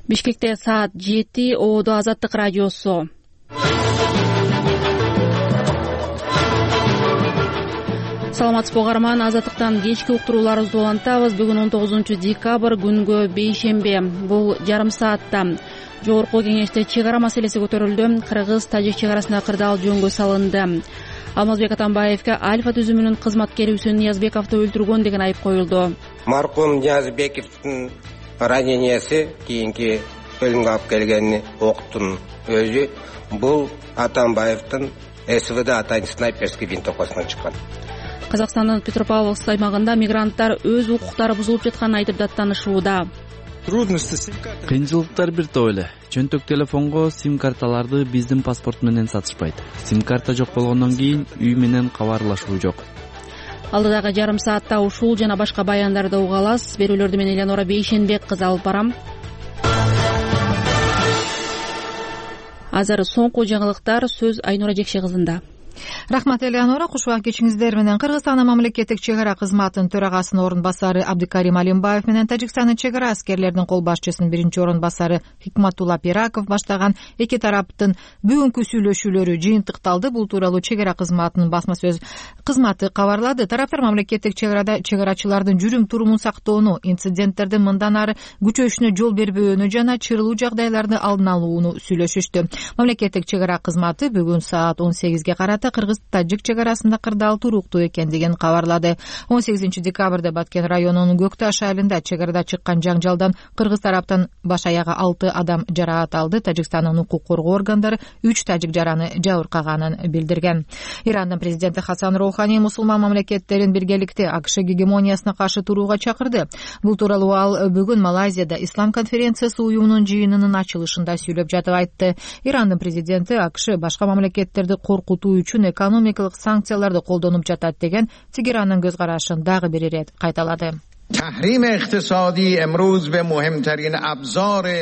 Бишкекте саат 7, ООД Азаттык радиосу. Саламатсызбы угарман, Азаттыктан кечки уктурууларыбызды улантабыз. Бүгүн 19 декабрь, күнгө бейшембе. Бул жарым саатта Жогорку кеңеште чек ара маселеси көтөрүлдү. Кыргыз-тажик чек арасында кырдаал жөнгө салынды. Алмазбек Атамбаевге Альфа түзүмүнүн кызматкери Үсөн Ниязбековду өлтүргөн деген айып коюлду. Маркум Ниязбековдун ранениясы кийинки өлүмгө алып келгени октун өзү бул Атамбаевдин СВД атайын снайперский винтовкасынан чыккан. Казакстандын Петропавловск аймагында мигранттар өз укуктары бузулуп жатканын айтып даттанышууда. Кыйынчылыктар бир топ эле. Чөнтөк телефонго сим-карталарды биздин паспорт менен сатышпайт. Сим-карта жок болгондон кийин үй менен кабарлашуу жок. Алдыдагы жарым саатта ушул жана башка баяндарды уга аласыз. Берүүлөрдү мен Элеонора Бейшенбек кызы алып барам. Азыр соңку жаңылыктар, сөз Айнура Жекше кызында. Рахмат Элеонора, кушубак кечиңиздер менен. Кыргызстандын мамлекеттик чек ара кызматынын төрагасынын орун басары Абдыкарим Алимбаев менен Тажикстандын чек ара аскерлеринин кол башчысынын биринчи орун басары Хикматулла Пираков баштаган эки тараптын бүгүнкү сүйлөшүүлөрү жыйынтыкталды. Бул тууралуу чек ара кызматынын басма сөз кызматы кабарлады. Тараптар мамлекеттик чек арада чек арачылардын жүрүм турумун сактоону, инциденттердин мындан ары күчөшүнө жол бербөөнү жана чырылуу жагдайларды алдын алууну сүйлөшүштү. Мамлекеттик чек ара кызматы бүгүн саат 18ге карата Кыргыз-тажик чек арасында кырдаал туруктуу экендигин кабарлады. 18 декабрда Баткен районунун Көкташ айылында чек арада чыккан жаңжалдан кыргыз тараптан баш аягы 6 адам жараат алды. Тажикстандын укук коргоо органдары 3 тажик жараны жабыркаганын билдирген. Ирандын президенти Хасан Роухани мусулман мамлекеттерин биргеликте АКШ гегемониясына каршы турууга чакырды. Бул тууралуу ал бүгүн Малайзияда Ислам конференциясы уюмунун жыйынынын ачылышында сүйлөп жатып айтты. Ирандын президенти АКШ башка мамлекеттерди коркутуу үчүн экономикалык санкцияларды колдонуп жатат деген Тегеранын көз карашын дагы бир ирет кайталады.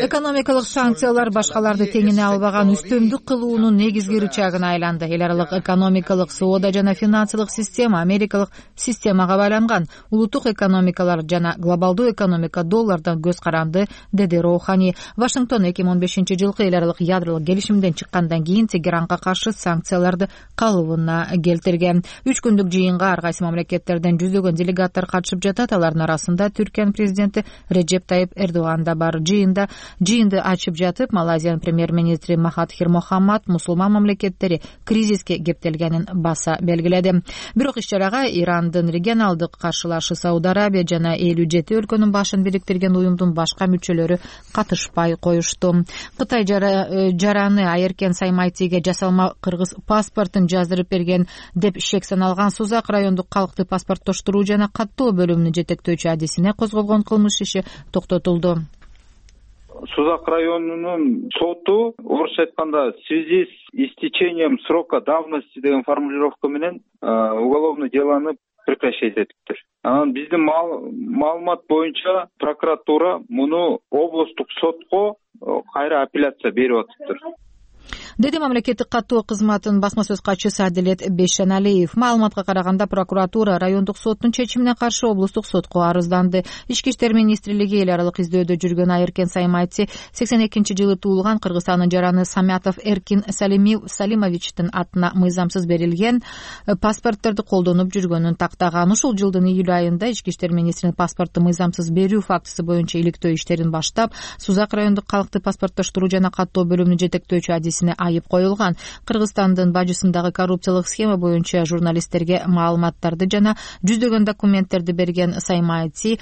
Экономикалык санкциялар башкаларды теңине албаган үстөмдүк кылуунун негизги рычагына айланды. Эл аралык экономикалык соода жана финансылык система америкалык системага байланган. Улуттук экономикалар жана глобалдуу экономика доллардан көз каранды, деди Роухани. Вашингтон 2015 жылкы эл аралык ядролук келишимден чыккандан кийин Тегеранга каршы санкцияларды калыбына келтирген. 3 күндүк жыйынга ар кайсы мамлекеттерден жүздөгөн делегаттар катышып жатат. Алардын арасында Түркиянын президенти Реджеп Тайип Эрдоган да бар. Жыйынды ачып жатып, Малайзиянын премьер-министри Махатхир Мохаммад мусулман мамлекеттери кризиске кептелгенин баса белгиледи. Бирок иш-чарага Ирандын регионалдык каршылашы Сауд Арабия жана 57 өлкөнүн башын бириктирген уюмдун башка мүчөлөрү катышпай коюшту. Кытай жараны Айеркен Саймайтиге жасалма кыргыз паспортун жаздырып берген деп шек саналган Сузак райондук калкты паспорттоштуруу жана каттоо бөлүмүнүн жетектөөчү адисине козголгон кылмыш иши токтотулду. Сузак районунун соту орусча айтканда в связи с истечением срока давности деген формулировка менен уголовное делону прекращать этиптир. Анан биздин маалымат боюнча прокуратура муну облустук сотко кайра апелляция берип атыптыр. Деди мамлекеттик каттоо кызматынын басма сөз катчысы Адилет Бешеналиев. Маалыматка караганда прокуратура райондук соттун чечимине каршы облустук сотко арызданды. Ички иштер министрлиги эл аралык издөөдө жүргөн Айеркен Саймайти 82-жылы туулган Кыргызстандын жараны Самятов Эркин Салимовичтин атына мыйзамсыз берилген паспортторду колдонуп жүргөнүн тактаган. Ушул жылдын июль айында ички иштер министринин паспортту мыйзамсыз берүү фактысы боюнча иликтөө иштерин баштап, Сузак райондук калкты паспорттоштуруу жана каттоо бөлүмүнүн жетектөөчү адисине айып коюлган. Кыргызстандын бажысындагы коррупциялык схема боюнча журналисттерге маалыматтарды жана жүздөгөн документтерди берген Саймайти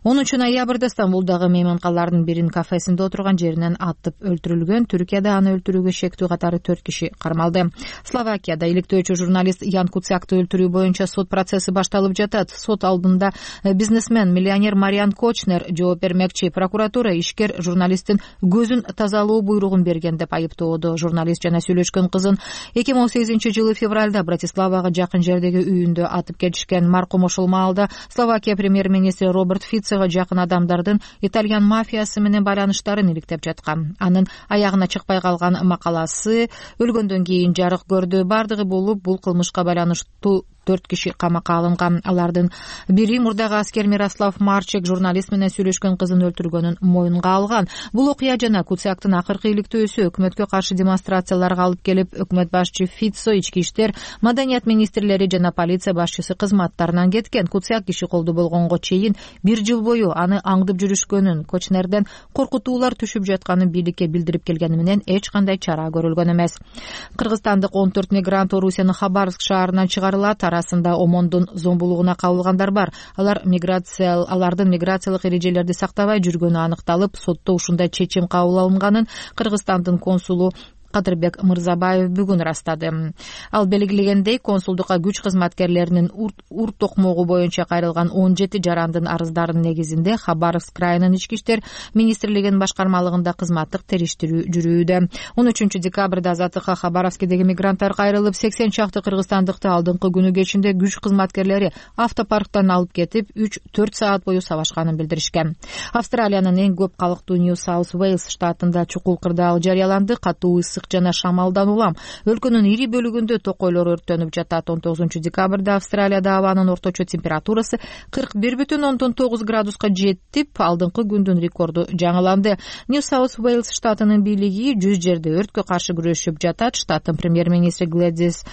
10 ноябрда Стамбулдагы мейманкалардын биринин кафесинде отурган жеринен атып өлтүрүлгөн. Түркияда аны өлтүрүүгө шектүү катары 4 киши кармалды. Словакияда иликтөөчү журналист Ян Куцякты өлтүрүү боюнча сот процесси башталып жатат. Сот алдында бизнесмен, миллионер Мариан Кочнер жооп бермекчи. Прокуратура ишкер журналисттин көзүн тазалоо буйругун берген деп айыптоодо. Журналист жана сүйлөшкөн кызын 2018 жылы февралда Братиславага жакын жердеги үйүндө атып кетишкен. Маркум ошол маалда Словакия премьер-министри Роберт Фицо жакын адамдардын итальян мафиясы менен байланыштарын иликтеп жаткан. Анын аягына чыкпай калган макаласы өлгөндөн кийин жарык көрдү. Бардыгы болуп, бул кылмышка байланыштуу 4 киши камакка алынган. Алардын бири мурдагы аскер Мирослав Марчек журналист менен сүйлөшкөн кызын өлтүргөнүн моюнга алган. Бул окуя жана Куцяктын акыркы иликтөөсү өкмөткө каршы демонстрацияларга алып келип, өкмөт башчы Фицо, ички иштер, маданият министрлери жана полиция башчысы кызматтарынан кеткен. Куцяк киши колдуу болгонго чейин 1 жыл бою аны аңдып жүрүшкөнүн, Кочнерден коркутуулар түшүп жатканын бийликке билдирип келгени менен эч кандай чара көрүлгөн эмес. Кыргызстандык 14 мигрант Орусиянын Хабаровск шаарынан чыгарылат. Арасында омондун зомбулугуна кабылгандар бар. Алардын миграциялык эрежелерди сактабай жүргөнү аныкталып, сотто ушундай чечим кабыл алынганын Кыргызстандын консулу Кадырбек Мырзабаев бүгүн ырастады. Ал белгилегендей, консулдукка күч кызматкерлеринин урт токмогу боюнча кайрылган 17 жарандын арыздарынын негизинде Хабаровск крайынын ички иштер министрлигинин башкармалыгында кызматтык териштирүү жүрүүдө. 13 декабрда Азаттыкка Хабаровскдеги мигранттар кайрылып, 80 чакты кыргызстандыкты алдыңкы күнү кечинде күч кызматкерлери автопарктан алып кетип, 3-4 саат бою сабашканын билдиришкен. Австралиянын эң көп калктуу Нью-Саус-Уэйлс штатында чукул кырдаал жарыяланды. Катуу ысык жана шамалдан улам өлкөнүн ири бөлүгүндө токойлор өрттөнүп жатат. 19 декабрда Австралияда абанын орточо температурасы 41,9 градуска жетип, алдыңкы күндүн рекорду жаңыланды. Нью-Саус-Уэйлс штатынын бийлиги 100 жерде өрткө каршы күрөшүп жатат. Штаттын премьер-министри Глэдис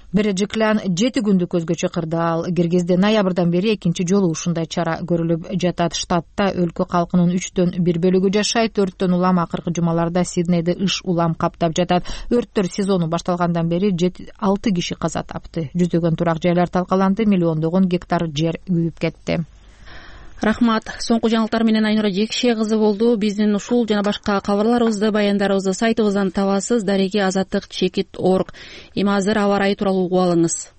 Бережиклян 7 күндүк өзгөчө кырдаал киргизди. Ноябрдан бери экинчи жолу ушундай чара көрүлүп жатат. Штатта өлкө калкынын 1/3 бөлүгү жашайт. Өрттөн улам акыркы жумаларда Сиднейди ыш улам каптап жатат. Өрттөр сезону башталгандан бери 6 киши каза тапты. Жүздөгөн турак жайлар талкаланды, миллиондогон гектар жер күйүп кетти. Рахмат. Соңку жаңылыктар менен Айнура Жекше кызы болду. Биздин ушул жана башка кабарларыбызды, баяндарыбызды сайтыбыздан табасыз. Дареги azаттык.org. Эми азыр аба ырайы тууралуу угуп алыңыз.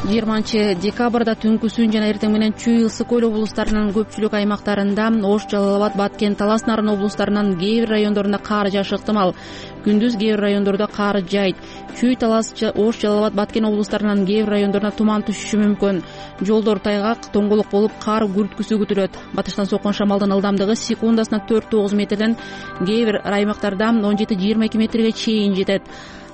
20 декабрда түнкүсүн жана эртең менен Чүй, Ысык көл облустарынын көпчүлүк аймактарында, Ош, Жалал абад, Баткен, Талас Нарын облустарынын кээ бир райондорунда кар жаашы ыктымал. Күндүз кээ бир райондордо кар жайт. Чүй, Талас, Ош, Жалал абад, Баткен облустарынын кээ бир райондоруна туман түшүшү мүмкүн. Жолдор тайгак, тоңголук болуп, кар күрткүсү күтүлөт. Батыштан соккон шамалдын ылдамдыгы секундасына 4-9 метрден, кээ бир аймактарда 17-22 метрге чейин жетет.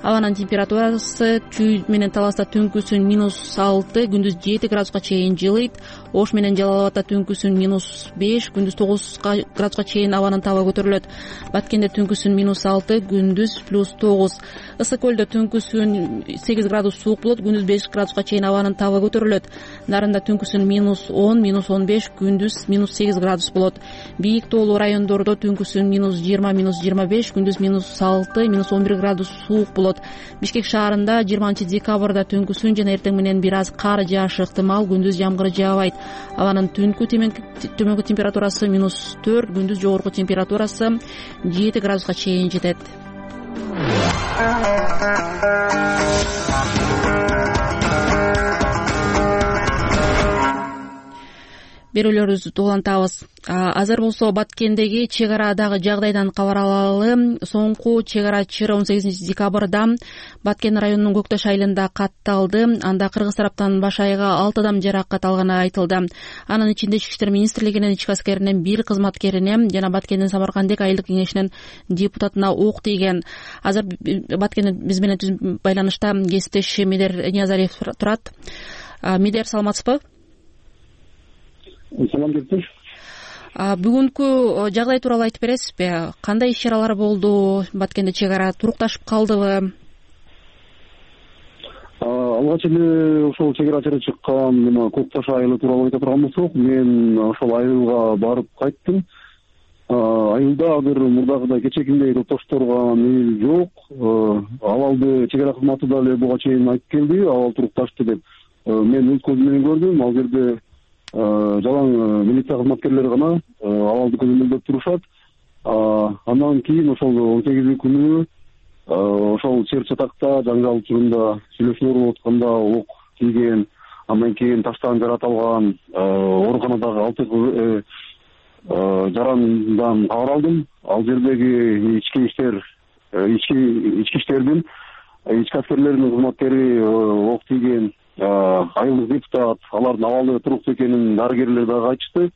Абанын температурасы Чүй менен Таласта түнкүсүн -6, күндүз 7 градуска чейин жылыйт. Ош менен Жалал абадда түнкүсүн -5, күндүз 9 градуска чейин абанын табы көтөрүлөт. Баткенде түнкүсүн -6, күндүз +9. Ысык көлдө түнкүсүн 8 градус суук болот, күндүз 5 градуска чейин абанын табы көтөрүлөт. Нарында түнкүсүн -10, -15, күндүз -8 градус болот. Бийик тоолуу райондордо түнкүсүн -20, -25, күндүз -6, -11 градус суук болот. Бишкек шаарында 20 декабрда түнкүсүн жана эртең менен бир аз кар жаашы ыктымал, күндүз жамгыр жаабайт. Абанын түнкү төмөнкү температурасы -4, күндүз жогорку температурасы 7 градуска чейин жетет. Берүүлөрүбүздү улантабыз. Азыр болсо Баткендеги чек арадагы жагдайдан кабар алалы. Соңку чек ара чыры 18 декабрда Баткен районунун Көкташ айылында катталды. Анда кыргыз тараптан баш айга 6 адам жаракат алганы айтылды. Анын ичинде Ички иштер министрлигинин ички аскеринен 1 кызматкерине жана Баткендин Самаркандек айылдык кеңешинин депутатына ок тийген. Азыр Баткенде биз менен түз байланышта кесиптеш Медер Ниязалиев турат. Медер, саламатсызбы? Салам бериптир. Бүгүнкү жагдай тууралуу айтып бересизби? Кандай иш чаралар болду? Баткенде чек ара турукташып калдыбы? Алгач эле ошол чек ара чыры чыккан Көкташ айылы тууралуу айта турган болсок, мен ошол айылга барып кайттым. Айылда азыр мурдагыдай кечээкиндей топтошторго мейил жок. Абалды чек ара кызматы дагы буга чейин айтып келди, абал турукташты деп. Мен өз көзүм менен көрдүм. Ал жерде жалаң милиция кызматкерлери гана абалды көзөмөлдөп турушат. Андан кийин ошол 18 күнү ошол чер чатакта жаңжал учурунда сүйлөшүүлөр болуп атканда ок тийген, андан кийин таштан жаратылган ооруканадагы 6 жарандан кабар алдым. Ал жердеги ички иштердин ички аскерлеринин кызматкери ок тийген, айылдык депутат, алардын абалы туруктуу экенин дарыгерлер дагы айтышты.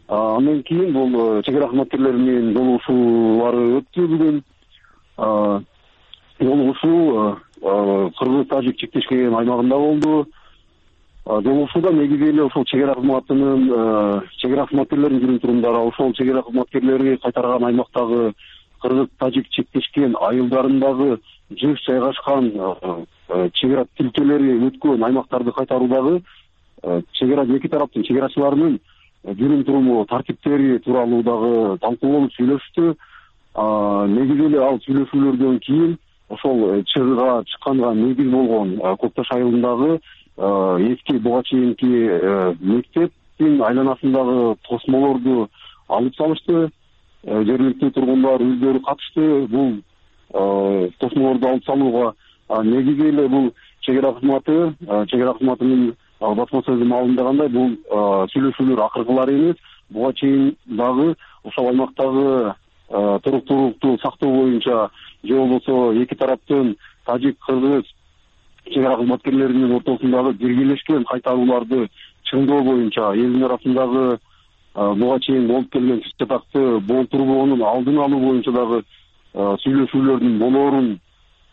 Андан кийин бул чек ара кызматкерлеринин жолугушуулары өттү бүгүн. Жолугушуу кыргыз тажик чектешкен аймагында болду. Жолугушууда негизи эле ошол чек ара кызматынын чек ара кызматкерлеринин жүрүм турумдары ошол чек ара кызматкерлери кайтарган аймактагы кыргыз тажик чектешкен айылдарындагы жыш жайгашкан чек ара тилкелери өткөн аймактарды кайтаруудагы чек ара эки тараптын чек арачыларынын жүрүм туруму тартиптери тууралуу дагы талкуу болуп сүйлөшүштү. Негизи эле ал сүйлөшүүлөрдөн кийин ошол чыгыга чыкканга негиз болгон Көк Таш айылындагы эски буга чейинки мектептин айланасындагы тосмолорду алып салышты. Жергиликтүү тургундар өздөрү катышты бул тосмолорду алып салууга. Негизи эле бул чек ара кызматынын басма сөзү маалымдагандай, бул сүйлөшүүлөр акыркылары эмес, буга чейин дагы ошол аймактагы туруктуулукту сактоо боюнча же болбосо эки тараптын тажик кыргыз чек ара кызматкерлеринин ортосундагы биргелешкен кайтарууларды чыңдоо боюнча элдин арасындагы буга чейин болуп келген тиш чатакты болтурбоонун алдын алуу боюнча дагы сүйлөшүүлөрдүн болоорун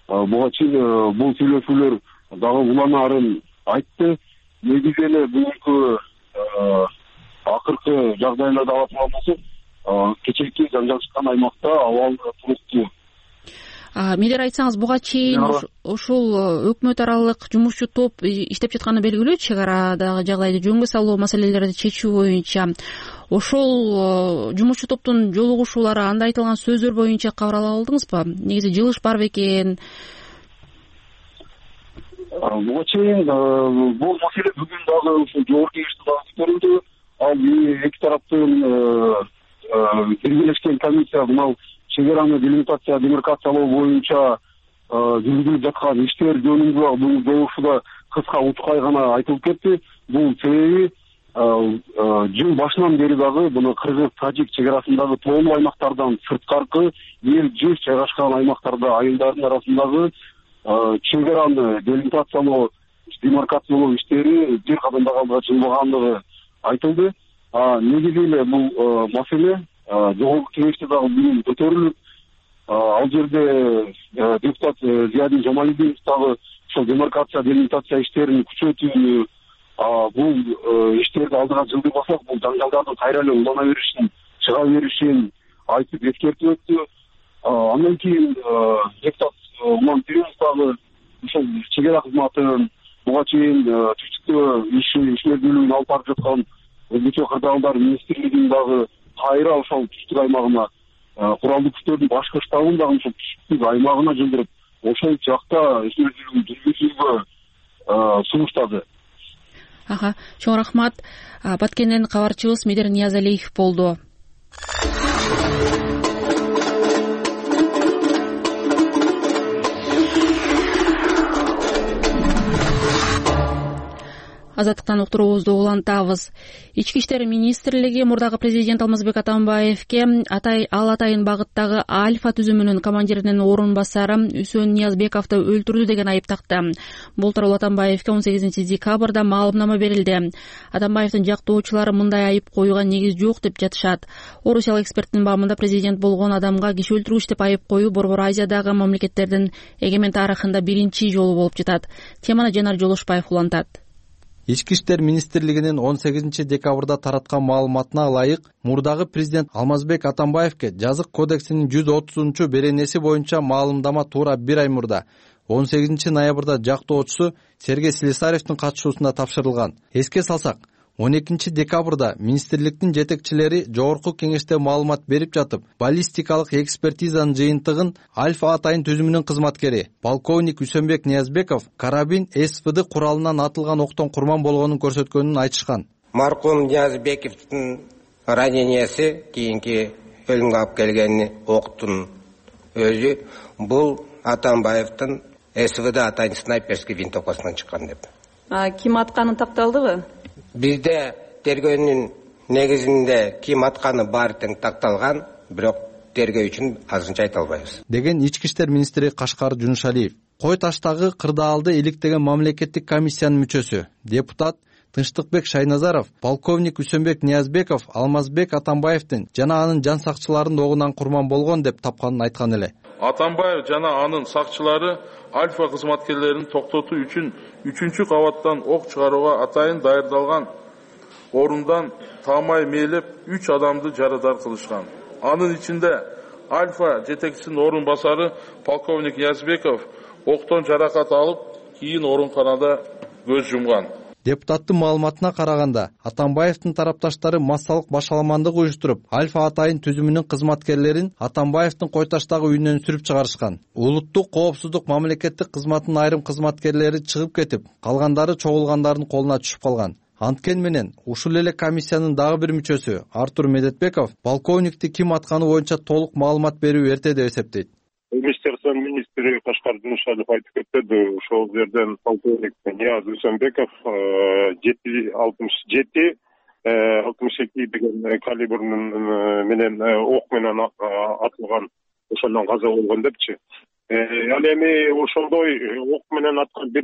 буга чейин бул сүйлөшүүлөр дагы уланаарын айтты. Негизи эле бүгүнкү акыркы жагдайларды ала турган болсок, кечээки жаңжал чыккан аймакта абал туруктуу. Милдер айтсаңыз, буга чейин ушул өкмөт аралык жумушчу топ иштеп жатканы белгилүү, чек арадагы жагдайды жөнгө салуу маселелерди чечүү боюнча. Ошол жумушчу топтун жолугушуулары, анда айтылган сөздөр боюнча кабар ала алдыңызбы? Негизи жылыш бар бекен? Буга чейин бул маселе бүгүн дагы ушул жогорку кеңеште дагы көтөрүлдү. Ал эки тараптын биргелешкен комиссия мына чек араны демаркациялоо боюнча жүргүзүлүп жаткан иштер жөнүндө бул жолугушууда кыска учкай гана айтылып кетти. Бул себеби жыл башынан бери дагы буну кыргыз тажик чек арасындагы тоолуу аймактардан сырткаркы эл жыш жайгашкан аймактарда айылдардын арасындагы чек араны демаркациялоо иштери бир кадамда алга жылбагандыгы айтылды. Негизи эле бул маселе жогорку кеңеште дагы бүгүн көтөрүлүп, ал жерде депутат Зиядин Жамалидинов дагы ошол демаркация иштерин күчөтүүнү, бул иштерди алдыга жылдырбасак бул жаңжалдардын кайра эле улана беришин, чыга беришин айтып эскертип өттү. Андан кийин депутат Уман Пиринов дагы ошол чек ара кызматын буга чейин түштүктө ишмердүүлүгүн алып барып жаткан Өзбекче кырдаалдар министрлигин дагы кайра ошол түштүк аймагына куралдуу күчтөрдүн башкы штабын дагы ошол түштүк аймагына жылдырып, ошол жакта ишмердүүлүгүн жүргүзүүгө сунуштады. Чоң рахмат. Баткенден кабарчыбыз Медер Ниязалиев болду. Азаттыктан уктуруубузду улантабыз. Ички иштер министрлиги мурдагы президент Алмазбек Атамбаевке Атайын багыттагы Альфа түзүмүнүн командиринин орун басары Үсөн Ниязбековду өлтүрдү деген айып такты. Бул тууралуу Атамбаевке 18 декабрда маалымнама берилди. Атамбаевдин жактоочулары мындай айып коюуга негиз жок деп жатышат. Орусиялык эксперттин баамында президент болгон адамга киши өлтүргүч деп айып коюу Борбор Азиядагы мамлекеттердин эгемен тарыхында биринчи жолу болуп жатат. Теманы Жанар Жолушбаев улантат. Ички иштер министрлигинин 18 декабрда тараткан маалыматына ылайык, мурдагы президент Алмазбек Атамбаевке жазык кодексинин 130 беренеси боюнча маалымдама туура бир ай мурда 18 ноябрда жактоочусу Сергей Слесаревдин катышуусунда тапшырылган. Эске салсак, 12 декабрда министрликтин жетекчилери жогорку кеңеште маалымат берип жатып, баллистикалык экспертизанын жыйынтыгын Альфа Атайын түзүмүнүн кызматкери полковник Үсөнбек Ниязбеков карабин СВД куралынан атылган октон курман болгонун көрсөткөнүн айтышкан. Маркум Ниязбековдун раненияси, кийинки өлүмгө алып келген октун өзү бул Атамбаевдин СВД Атайын снайперский винтовкасынан чыккан деп. Ким атканы такталдыбы? Бизде тергөөнүн негизинде ким атканы баары тең такталган, бирок тергөө үчүн азырынча айта албайбыз, деген ички иштер министри Кашкар Жунушалиев. Кой таштагы кырдаалды иликтеген мамлекеттик комиссиянын мүчөсү, депутат Тынчтыкбек Шайназаров полковник Үсөнбек Ниязбеков Алмазбек Атамбаевдин жана анын жан сакчыларынын огунан курман болгон деп тапканын айткан эле. Атамбаев жана анын сакчылары Альфа кызматкерлерин токтотуу үчүн 3-чү кабаттан ок чыгарууга атайын даярдалган орундан таамай мээлеп 3 адамды жарадар кылышкан. Анын ичинде Альфа жетекчисинин орун басары полковник Язбеков октон жаракат алып, кийин ооруканада көз жумган. Депутаттын маалыматына караганда, Атамбаевдин тарапташтары массалык башаламандык уюштуруп, Альфа атайын түзүмүнүн кызматкерлерин Атамбаевдин Койташтагы үйүнөн сүрүп чыгарышкан. Улуттук коопсуздук мамлекеттик кызматтын айрым кызматкерлери чыгып кетип, калгандары чогулгандардын колуна түшүп калган. Анткени менен ушул эле комиссиянын дагы бир мүчөсү Артур Медетбеков полковникти ким атканы боюнча толук маалымат берүү эрте деп эсептейт. Министерство министри Кашкар Дунушалов айтып кетти, ошол жерден полковник Нияз Үсөнбеков 7.67 деген калибрдин менен ок менен атылган, ошондон каза болгон депчи. Ал эми ошондой ок менен аткан бир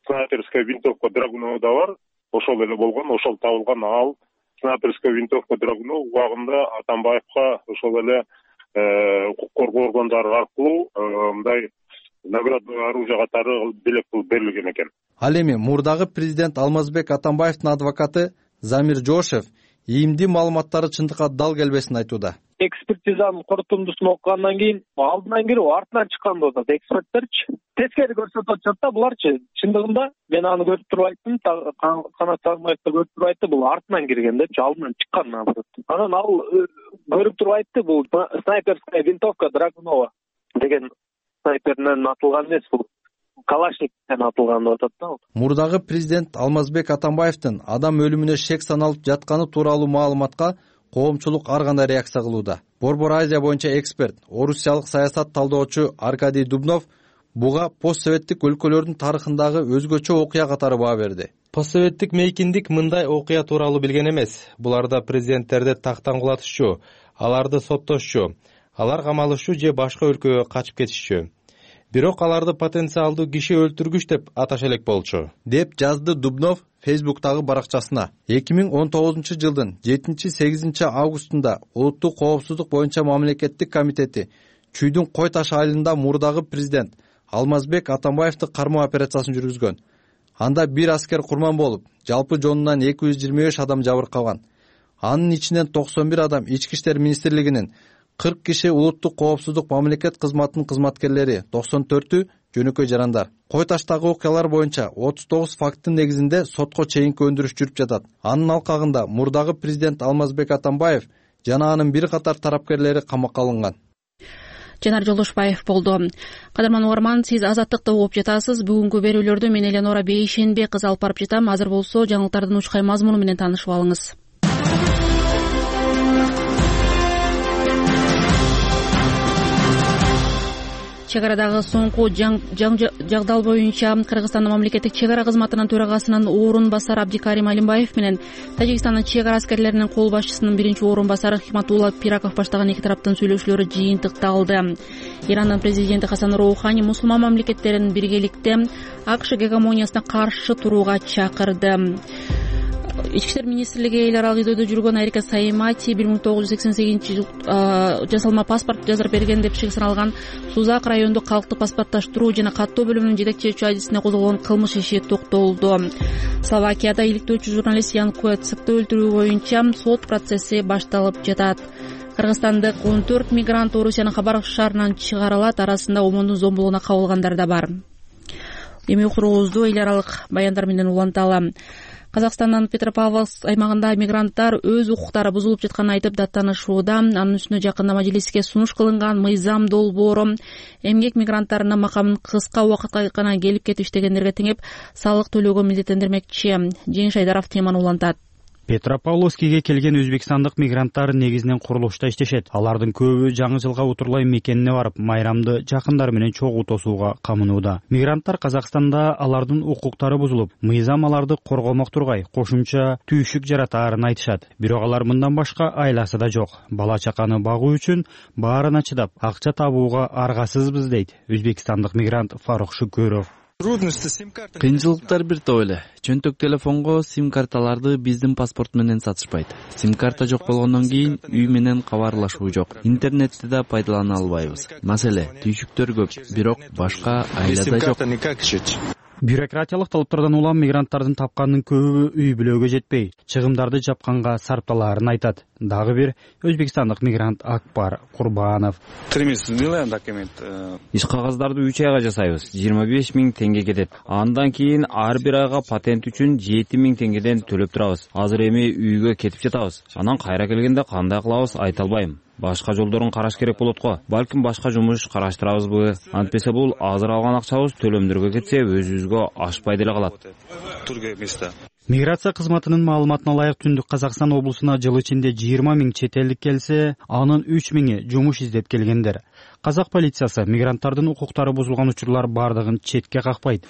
снайперская винтовка Драгунова да бар. Ошол эле болгон, ошол табылган. Ал снайперская винтовка Драгунов убагында Атамбаевка ошол эле укук коргоо органдары аркылуу мындай наградный оружие катары белек кылып берилген экен. Ал эми мурдагы президент Алмазбек Атамбаевдин адвокаты Замир Жошев ийимдүү маалыматтары чындыкка дал келбесин айтууда. Экспертизанын корутундусун окугандан кийин алдынан кирип артынан чыккан болуп атат эксперттерчи. Тескери көрсөтүп атышат да буларчы. Чындыгында мен аны көрүп туруп айттым, Канат Сагымбаевди көрүп туруп айтты, бул артынан кирген депчи, алдынан чыккан наоборот. Анан ал көрүп туруп айтты, бул снайперская винтовка Драгунова деген снайперден атылган эмес, бул Калашниковден атылган деп атат да. Мурдагы президент Алмазбек Атамбаевдин адам өлүмүнө шек саналып жатканы тууралуу маалыматка коомчулук ар кандай реакция кылууда. Борбор Азия боюнча эксперт, орусиялык саясат талдоочу Аркадий Дубнов буга постсоветтик өлкөлөрдүн тарыхындагы өзгөчө окуя катары баа берди. Постсоветтик мейкиндик мындай окуя тууралуу билген эмес. Буларда президенттерди тактан кулатышчу, аларды соттошчу, алар камалышчу же башка өлкөгө качып кетишчү. Бирок аларды потенциалдуу киши өлтүргүч деп аташа элек болчу, деп жазды Дубнов Фейсбуктагы баракчасына. 2019 жылдын 7-8 августунда Улуттук коопсуздук боюнча мамлекеттик комитети Чүйдүн Кой Таш айылында мурдагы президент Алмазбек Атамбаевди кармоо операциясын жүргүзгөн. Анда бир аскер курман болуп, жалпы жонунан 225 адам жабыркаган. Анын ичинен 91 адам Ички иштер министрлигинин, 40 киши улуттук коопсуздук мамлекет кызматынын кызматкерлери, 94-ü жөнөкөй жарандар. Кой Таштагы окуялар боюнча 39 факттын негизинде сотко чейинки өндүрүш жүрүп жатат. Анын алкагында мурдагы президент Алмазбек Атамбаев жана анын бир катар тарапкерлери камакка алынган. Жанар Жолдошбаев болду. Кадырман угарман, сиз Азаттыкты угуп жатасыз. Бүгүнкү берүүлөрдү мен Эленора Бейшенбек кызы алып барып жатам. Азыр болсо жаңылыктардын учкай мазмуну менен таанышып алыңыз. Чек арадагы соңку жагдал боюнча Кыргызстандын мамлекеттик чек ара кызматынын төрагасынын орун басары Абдикарим Алимбаев менен Тажикстандын чек ара аскерлеринин кол башчысынын биринчи орун басары Хикматулла Пираков баштаган эки тараптын сүйлөшүүлөрү жыйынтыкталды. Ирандын президенти Хасан Роухани мусулман мамлекеттерин биргеликте АКШ гегемониясына каршы турууга чакырды. Ички иштер министрлиги эл аралык издөдө жүргөн Айрика Саимати 1988 жасалма паспорт жаздырып берген деп чыгып саналган Сузак райондук калктык паспорттоштуруу жана каттоо бөлүмүнүн жетекчи адисине козголгон кылмыш иши токтолду. Словакияда иликтөөчү журналист Ян Куэцыкты өлтүрүү боюнча сот процесси башталып жатат. Кыргызстандык 14 мигрант Орусиянын Хабаровск шаарынан чыгарылат, арасында ОМОНдун зомбулугуна кабылгандар да бар. Эми уктуруубузду эл аралык баяндар менен уланталы. Казакстандын Петропавловск аймагында мигранттар өз укуктары бузулуп жатканын айтып даттанышууда. Анын үстүнө жакында мажлиске сунуш кылынган мыйзам долбоору эмгек мигранттарынын макамын кыска убакытка гана келип кетип иштегендерге теңеп салык төлөөгө милдеттендирмекчи. Жеңиш Айдаров теманы улантат. Петропавловскиге келген өзбекстандык мигранттар негизинен курулушта иштешет. Алардын көбү жаңы жылга утурлай мекенине барып, майрамды жакындары менен чогуу тосууга камынууда. Мигранттар Казакстанда алардын укуктары бузулуп, мыйзам аларды коргомок тургай, кошумча түйшүк жаратаарын айтышат. Бирок алар мындан башка айласы да жок. Бала чаканы багуу үчүн баарына чыдап, акча табууга аргасызбыз дейт өзбекстандык мигрант Фарук Шүкөров. Кыйынчылыктар бир топ эле. Чөнтөк телефонго сим карталарды биздин паспорт менен сатышпайт. Сим карта жок болгондон кийин үй менен кабарлашуу жок. Интернетти да пайдалана албайбыз. Маселе түйшүктөр көп, бирок башка айлада жок. Бюрократиялык талаптардан улам мигранттардын тапканынын көбү үй бүлөгө жетпей, чыгымдарды жапканга сарпталаарын айтат. Дагы бир өзбекстандык мигрант Акбар Курбанов. Иш кагаздарды 3 айга жасайбыз. 25 000 теңге кетет. Андан кийин ар бир айга патент үчүн 7 000 теңгеден төлөп турабыз. Азыр эми үйгө кетип жатабыз. Анан кайра келгенде кандай кылабыз айта албайм. Башка жолдорун караш керек болот го. Балким башка жумуш караштырабызбы? Антпесе бул азыр алган акчабыз төлөмдөргө кетсе өзүбүзгө ашпай деле калат. Миграция кызматынын маалыматына ылайык Түндүк Казакстан облусуна жыл ичинде 20 000 чет элдик келсе, анын 3 000 жумуш издеп келгендер. Казак полициясы мигранттардын укуктары бузулган учурлар бардыгын четке какпайт.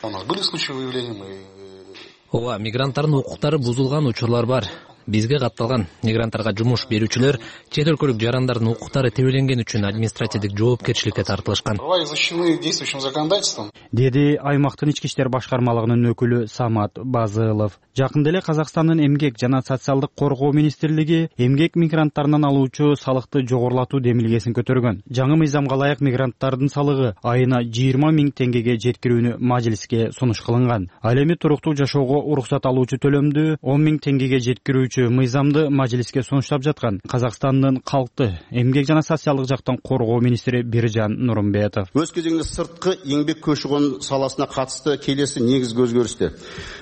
Ооба, мигранттардын укуктары бузулган учурлар бар. Бизге катталган мигранттарга жумуш берүүчүлөр чет өлкөлүк жарандардын укуктары тебеленген үчүн административдик жоопкерчиликке тартылышкан. Деди аймактын ички иштер башкармалыгынын өкүлү Самат Базылов. Жакында эле Казакстандын эмгек жана социалдык коргоо министрлиги эмгек мигранттарынан алуучу салыкты жогорулатуу демилгесин көтөргөн. Жаңы мыйзамга ылайык мигранттардын салыгы айына 20 000 теңгеге жеткирүүнү мажлиске сунуш кылынган. Ал эми туруктуу жашоого уруксат алуучу төлөмдү 10 000 теңгеге жеткирүүчү мыйзамды мажлиске сунуштап жаткан Казакстандын калкты эмгек жана социалдык жактан коргоо министри Биржан Нурумбетов. Өз кезегинде сырткы эмгек көчү-кон саласына катысты келеси негизги өзгөрүштөр.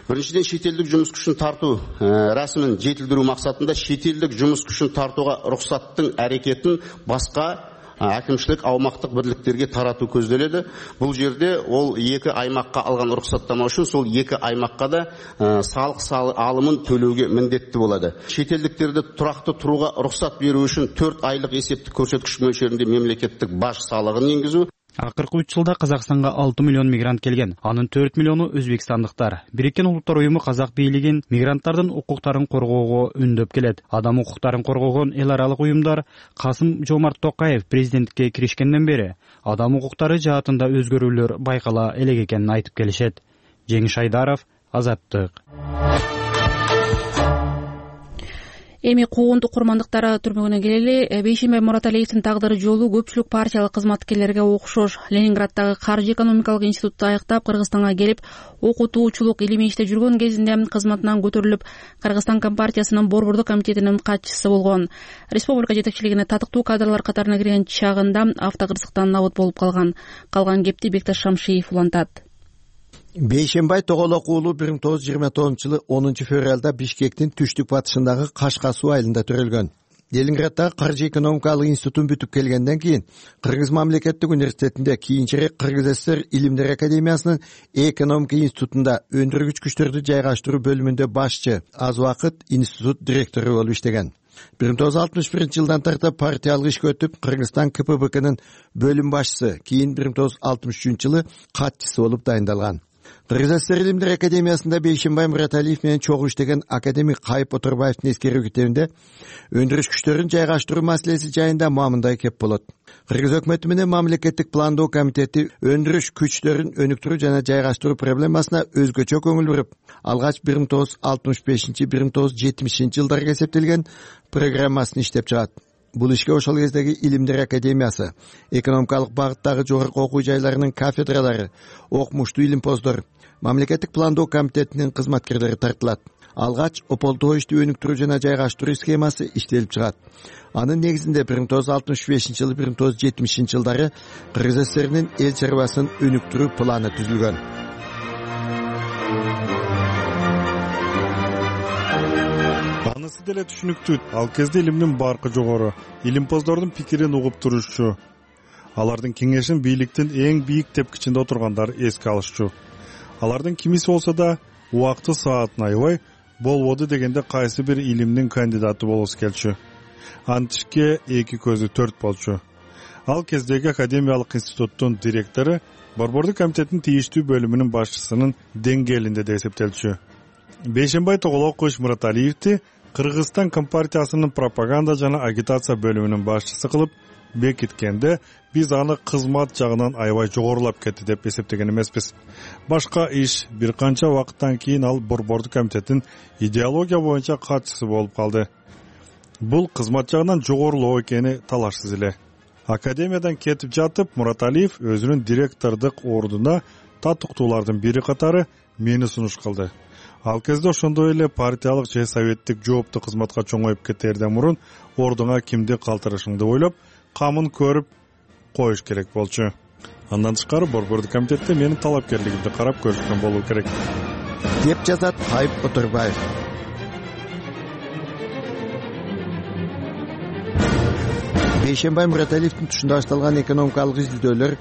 Биринчиден, чет элдик жумуш күчүн тартуу расмын жетилдирүү максатында чет элдик жумуш күчүн тартууга уруксаттын аракетин башка әкимшілік аумақтық бірліктерге тарату көзделеді. Бұл жерде ол екі аймаққа алған рұқсаттама үшін сол екі аймаққа да салық алымын төлеуге міндетті болады. Шетелдіктерді тұрақты тұруға рұқсат беру үшін 4 айлық есептік көрсеткіш мөлшерінде мемлекеттік баж салығын енгізу. Акыркы 3 жылда Казакстанга 6 миллион мигрант келген. Анын 4 миллиону өзбекстандыктар. Бириккен Улуттар уюму Казак бийлигин мигранттардын укуктарын коргоого үндөп келет. Адам укуктарын коргогон эл аралык уюмдар Касым-Жомарт Токаев президенттикке киришкенден бери адам укуктары жаатында өзгөрүүлөр байкала элек экенин айтып келишет. Жеңиш Айдаров, Азаттык. Эми куугунтук курмандыктары түрмөгүнө келели. Бейшембе Мураталиевдин тагдыры жолу көпчүлүк партиялык кызматкерлерге окшош. Ленинграддагы Каржы экономикалык институтту аяктап Кыргызстанга келип, окутуучулук илимий иште жүргөн кезинде кызматынан көтөрүлүп, Кыргызстан Компартиясынын Борбордук комитетинин катчысы болгон. Республика жетекчилигине татыктуу кадрлар катарына кирген чагында автокырсыктан набыт болуп калган. Калган кепти Бекташ Шамшиев улантат. Бейшембай Тоголок уулу 1929-жылы 10 февралда Бишкектин түштүк батышындагы Кашка суу айылында төрөлгөн. Ленинграддагы Каржы экономикалык институтун бүтүп келгенден кийин Кыргыз мамлекеттик университетинде, кийинчерээк Кыргыз ССР Илимдер академиясынын экономика институтунда өндүргүч күчтөрдү жайгаштыруу бөлүмүндө башчы, аз убакыт институт директору болуп иштеген. 1961-жылдан тартып партиялык ишке өтүп, Кыргызстан КПБКнын бөлүм башчысы, кийин 1963-жылы катчысы болуп дайындалган. Кыргыз ССР Илимдер академиясында Бейшембай Мураталиев менен чогуу иштеген академик Кайып Отурбаевдин эскерүү китебинде өндүрүш күчтөрүн жайгаштыруу маселеси жайында мамындай кеп болот. Кыргыз өкмөтү менен мамлекеттик пландоо комитети өндүрүш күчтөрүн өнүктүрүү жана жайгаштыруу проблемасына өзгөчө көңүл буруп, алгач 1965-1970 жылдарга эсептелген программасын иштеп чыгат. Бул ишке ошол кездеги Илимдер академиясы, экономикалык багыттагы жогорку окуу жайларынын кафедралары, окумуштуу илимпоздор, мамлекеттик пландоо комитетинин кызматкерлери тартылат. Алгач ополтоо ишти өнүктүрүү жана жайгаштыруу схемасы иштелип чыгат. Анын негизинде 1965-жылы 1970 жылдары Кыргыз ССРнин эл чарбасын өнүктүрүү планы түзүлгөн. Анысы деле түшүнүктүү. Ал кезде илимдин баркы жогору, илимпоздордун пикирин угуп турушчу. Алардын кеңешин бийликтин эң бийик тепкичинде отургандар эске алышчу. Алардын кимиси болсо да убакты саатын аябай болбоду дегенде кайсы бир илимдин кандидаты болосу келчү. Антишке эки көзү төрт болчу. Ал кездеги академиялык институттун директору Борбордук комитеттин тийиштүү бөлүмүнүн башчысынын деңгээлинде да эсептелчү. Бейшембай Тоголок Мураталиевди Кыргызстан Компартиясынын пропаганда жана агитация бөлүмүнүн башчысы кылып бекиткенде биз аны кызмат жагынан аябай жогорулап кетти деп эсептеген эмеспиз. Башка иш, бир канча убакыттан кийин ал Борбордук комитеттин идеология боюнча катчысы болуп калды. Бул кызмат жагынан жогорулоо экени талашсыз эле. Академиядан кетип жатып, Мураталиев өзүнүн директордук ордуна татыктуулардын бири катары мени сунуш кылды. Ал кезде ошондой эле партиялык же советтик жооптуу кызматка чоңоюп кетерден мурун ордуңа кимди калтырышыңды ойлоп, камын көрүп коюш керек болчу. Андан тышкары Борбордук комитетте менин талапкерлигимди карап көрүшкөн болуу керек, деп жазат Кайып Отурбаев. Бейшенбай Мураталиевдин тушунда башталган экономикалык изилдөөлөр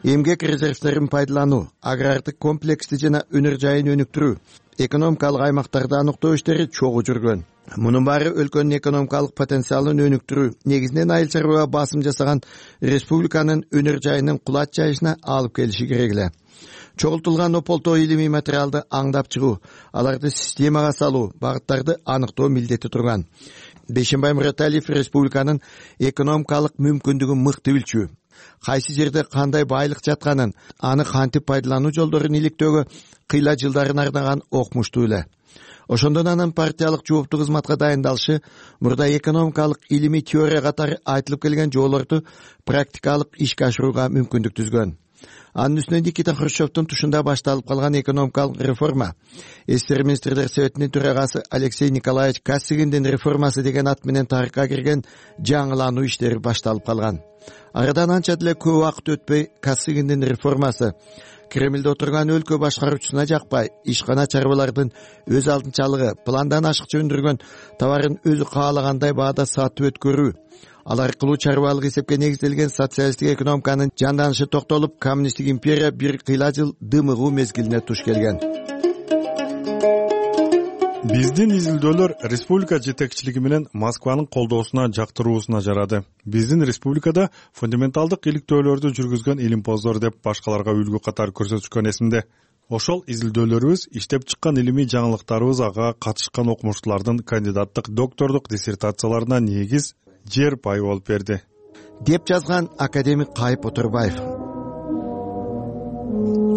эмгек резервдерин пайдалануу, агрардык комплексти жана өнөр жайын өнүктүрүү, экономикалык аймактарды аныктоо иштери чогуу жүргөн. Мунун баары өлкөнүн экономикалык потенциалын өнүктүрүү, негизинен айыл чарбага басым жасаган республиканын өнөр жайынын кулат жайышына алып келиши керек эле. Чогултулган ополтоо илимий материалды аңдап чыгуу, аларды системага салуу, багыттарды аныктоо милдети турган. Бейшенбай Мураталиев республиканын экономикалык мүмкүндүгүн мыкты билчү. Кайсы жерде кандай байлык жатканын, аны кантип пайдалануу жолдорун иликтөөгө кыйла жылдарын арнаган окмуштуу эле. Ошондон анын партиялык жооптуу кызматка дайындалышы мурда экономикалык илимий теория катары айтылып келген жолдорду практикалык ишке ашырууга мүмкүндүк түзгөн. Анын үстүнө Никита Хрущевдун тушунда башталып калган экономикалык реформа, СССР министрлер советинин төрагасы Алексей Николаевич Косыгиндин реформасы деген ат менен тарыхка кирген жаңылануу иштери башталып калган. Арадан анча деле көп убакыт өтпөй Косыгиндин реформасы Кремльде отурган өлкө башкаруучусуна жакпай, ишкана чарбалардын өз алдынчалыгы, пландан ашыкча өндүргөн товарын өзү каалагандай баада сатып өткөрүү, ал аркылуу чарбалык эсепке негизделген социалисттик экономиканын жанданышы токтолуп, коммунисттик империя бир кыйла жыл дымыгуу мезгилине туш келген. Биздин изилдөөлөр республика жетекчилиги менен Москванын колдоосуна жактыруусуна жарады. Биздин республикада фундаменталдык иликтөөлөрдү жүргүзгөн илимпоздор деп башкаларга үлгү катары көрсөтүшкөн эсимде. Ошол изилдөөлөрүбүз, иштеп чыккан илимий жаңылыктарыбыз ага катышкан окумуштуулардын кандидаттык, доктордук диссертацияларына негиз жер пай болуп берди, деп жазган академик Кайып Отурбаев.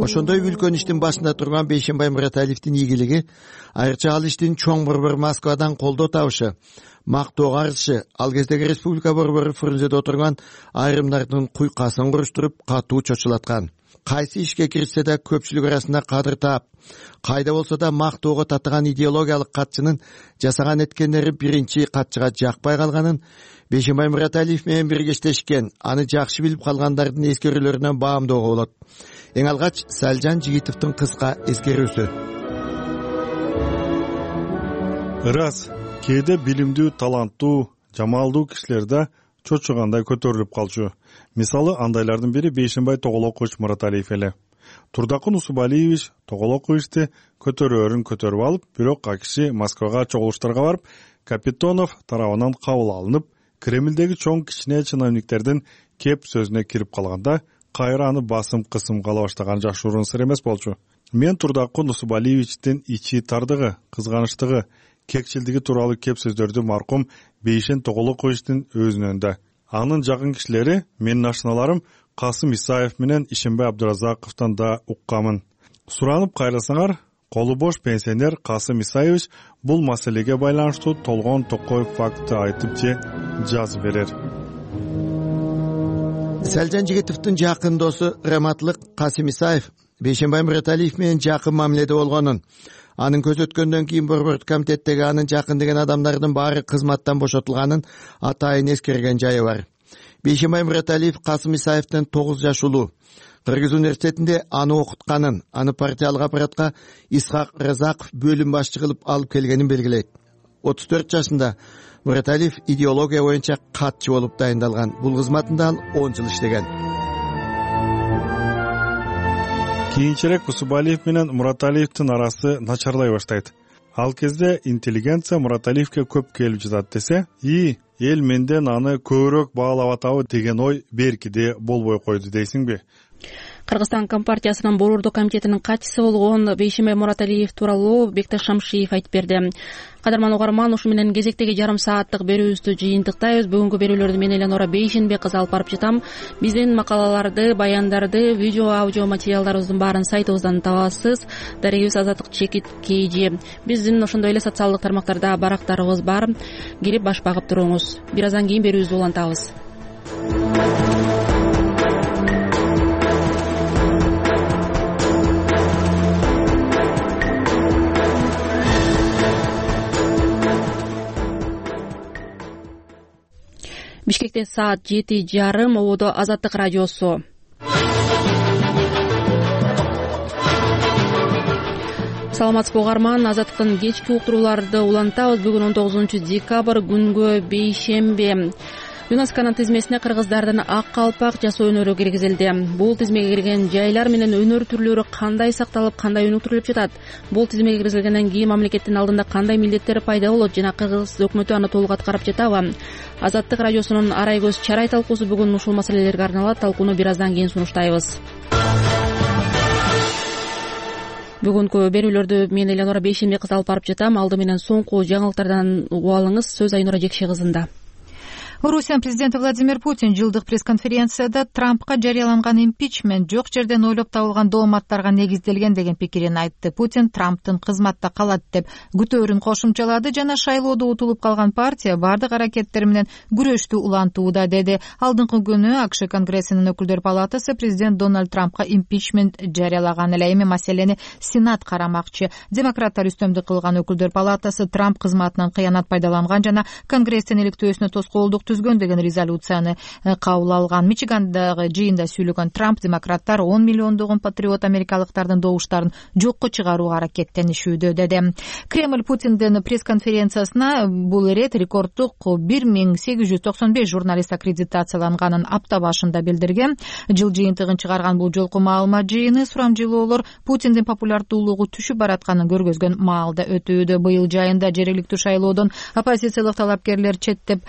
Ошондой үлкөн иштин башында турган Бейшенбай Мураталиевдин ийгилиги, айрыкча ал иштин чоң борбор Москвадан колдоо табышы, мактоого арзышы, ал кездеги республика борбору Фрунзеде отурган айрымдардын куйкасын куруштуруп, катуу чочулаткан. Кайсы ишке киришсе да көпчүлүк арасында кадыр таап, кайда болсо да мактоого татыган идеологиялык катчынын жасаган эткендери биринчи катчыга жакпай калганын Бейшенбай Мураталиев менен биргештешкен, аны жакшы билип калгандардын эскерүүлөрүнөн баамдоого болот. Эң алгач Салжан Жигитовдун кыска эскерүүсү. Ырас, кээде билимдүү, таланттуу, жамалдуу кишилер да чочугандай көтөрүлүп калчу. Мисалы, андайлардын бири Бейшенбай Тоголокович Мураталиев эле. Турдакын Усубалиевич Тоголоковичти көтөрөөрүн көтөрүп алып, бирок ал киши Москвага чогулуштарга барып, Капитонов тарабынан кабыл алынып, Кремльдеги чоң кичине чиновниктердин кеп сөзүнө кирип калганда, кайра аны басым-кысым кала баштаган жашыруун сыр эмес болчу. Мен Турдакын Усубалиевичтин ичи тардыгы, кызганычтыгы, кекчилдиги тууралуу кеп сөздөрдү маркум Бейшен Тоголоковичтин өзүнөн да, анын жакын кишилери, менин ашыналарым Касым Исаев менен Ишенбай Абдуразаковдон да уккамын. Суранып кайрасаңар, колу бош пенсионер Касым Исаевич бул маселеге байланыштуу толгон токой факты айтып же жазып берер. Салжан Жигитовдун жакын досу Раматлык Касым Исаев Бейшенбай Мураталиев менен жакын мамиледе болгонун, анын көзөткөндөн кийин Борбордук комитеттеги анын жакын деген адамдардын баары кызматтан бошотулганын атайын эскерген жайы бар. Бейшенбай Мураталиев Касым Исаевден 9 жаш улуу. Кыргыз университетинде аны окутканын, аны партиялык аппаратка Исхак Разаков бөлүм башчы кылып алып келгенин белгилейт. 34 жашында Мураталиев идеология боюнча катчы болуп дайындалган. Бул кызматында ал 10 жыл иштеген. Кийинчерээк Усубалиев менен Мураталиевдин арасы начарлай баштайт. Ал кезде интеллигенция Мураталиевке көп келип жатат десе, эл менден аны көбүрөөк баалап атабы деген ой беркиде болбой койду дейсиңби? Кыргызстан Компартиясынын Борбордук комитетинин катчысы болгон Бейшембай Мураталиев тууралуу Бекташ Шамшиев айтып берди. Кадырман угарман, ушу менен кезектеги жарым сааттык берүүбүздү жыйынтыктайбыз. Бүгүнкү берүүлөрдү мен Эленора Бейшенбек кызы алып барып жатам. Биздин макалаларды, баяндарды, видео, аудио материалдарыбыздын баарын сайтыбыздан табасыз. Дарегибиз Азаттык _KG. Биздин ошондой эле социалдык тармактарда барактарыбыз бар. Кирип баш багып туруңуз. Бир аздан кийин берүүбүздү улантабыз. Бишкекте саат 7:30. Ободо Азаттык радиосу. Саламатсызбы угарман, Азаттыктын кечки уктурууларды улантабыз. Бүгүн 19 декабрь, күнгө бейшембе. ЮНЕСКОнун тизмесине кыргыздардын ак калпак жасоо өнөрү киргизилди. Бул тизмеге кирген жайлар менен өнөр түрлөрү кандай сакталып, кандай өнүктүрүлүп жатат? Бул тизмеге киргизилгенден кийин мамлекеттин алдында кандай милдеттер пайда болот жана кыргыз өкмөтү аны толук аткарып жатабы? Азаттык радиосунун арай көз чарай талкуусу бүгүн ушул маселелерге арналат. Талкууну бир аздан кийин сунуштайбыз. Бүгүнкү берүүлөрдү мен Эленора Бейшембек кызы алып барып жатам. Алды менен соңку жаңылыктардан угуп алыңыз. Сөз Айнура Жекше кызында. Орусиянын президенти Владимир Путин жылдык пресс-конференцияда Трампка жарыяланган импичмент жок жерден ойлоп табылган дооматтарга негизделген деген пикирин айтты. Путин Трамптын кызматта калат деп күтөөрүн кошумчалады жана шайлоодо утулуп калган партия бардык аракеттери менен күрөштү улантууда деди. Алдыңкы күнү АКШ Конгрессинин өкүлдөр палатасы президент Дональд Трампка импичмент жарыялаган эле. Эми маселени Сенат карамакчы. Демократтар үстөмдүк кылган өкүлдөр палатасы Трамп кызматынан кыянат пайдаланган жана Конгресстин иликтөөсүнө тоскоолдук түзгөн деген резолюцияны кабыл алган. Мичигандагы жыйында сүйлөгөн Трамп демократтар 10 миллиондогон патриот америкалыктардын добуштарын жокко чыгарууга аракеттенишүүдө деди. Кремль Путиндин пресс-конференциясына бул ирет рекорддук 1895 журналист аккредитацияланганын апта башында билдирген. Жыл жыйынтыгын чыгарган бул жолку маалымат жыйыны сурамжылоолор Путиндин популярдуулугу түшүп баратканын көргөзгөн маалда өтүүдө. Быйыл жайында жергиликтүү шайлоодон оппозициялык талапкерлер четтеп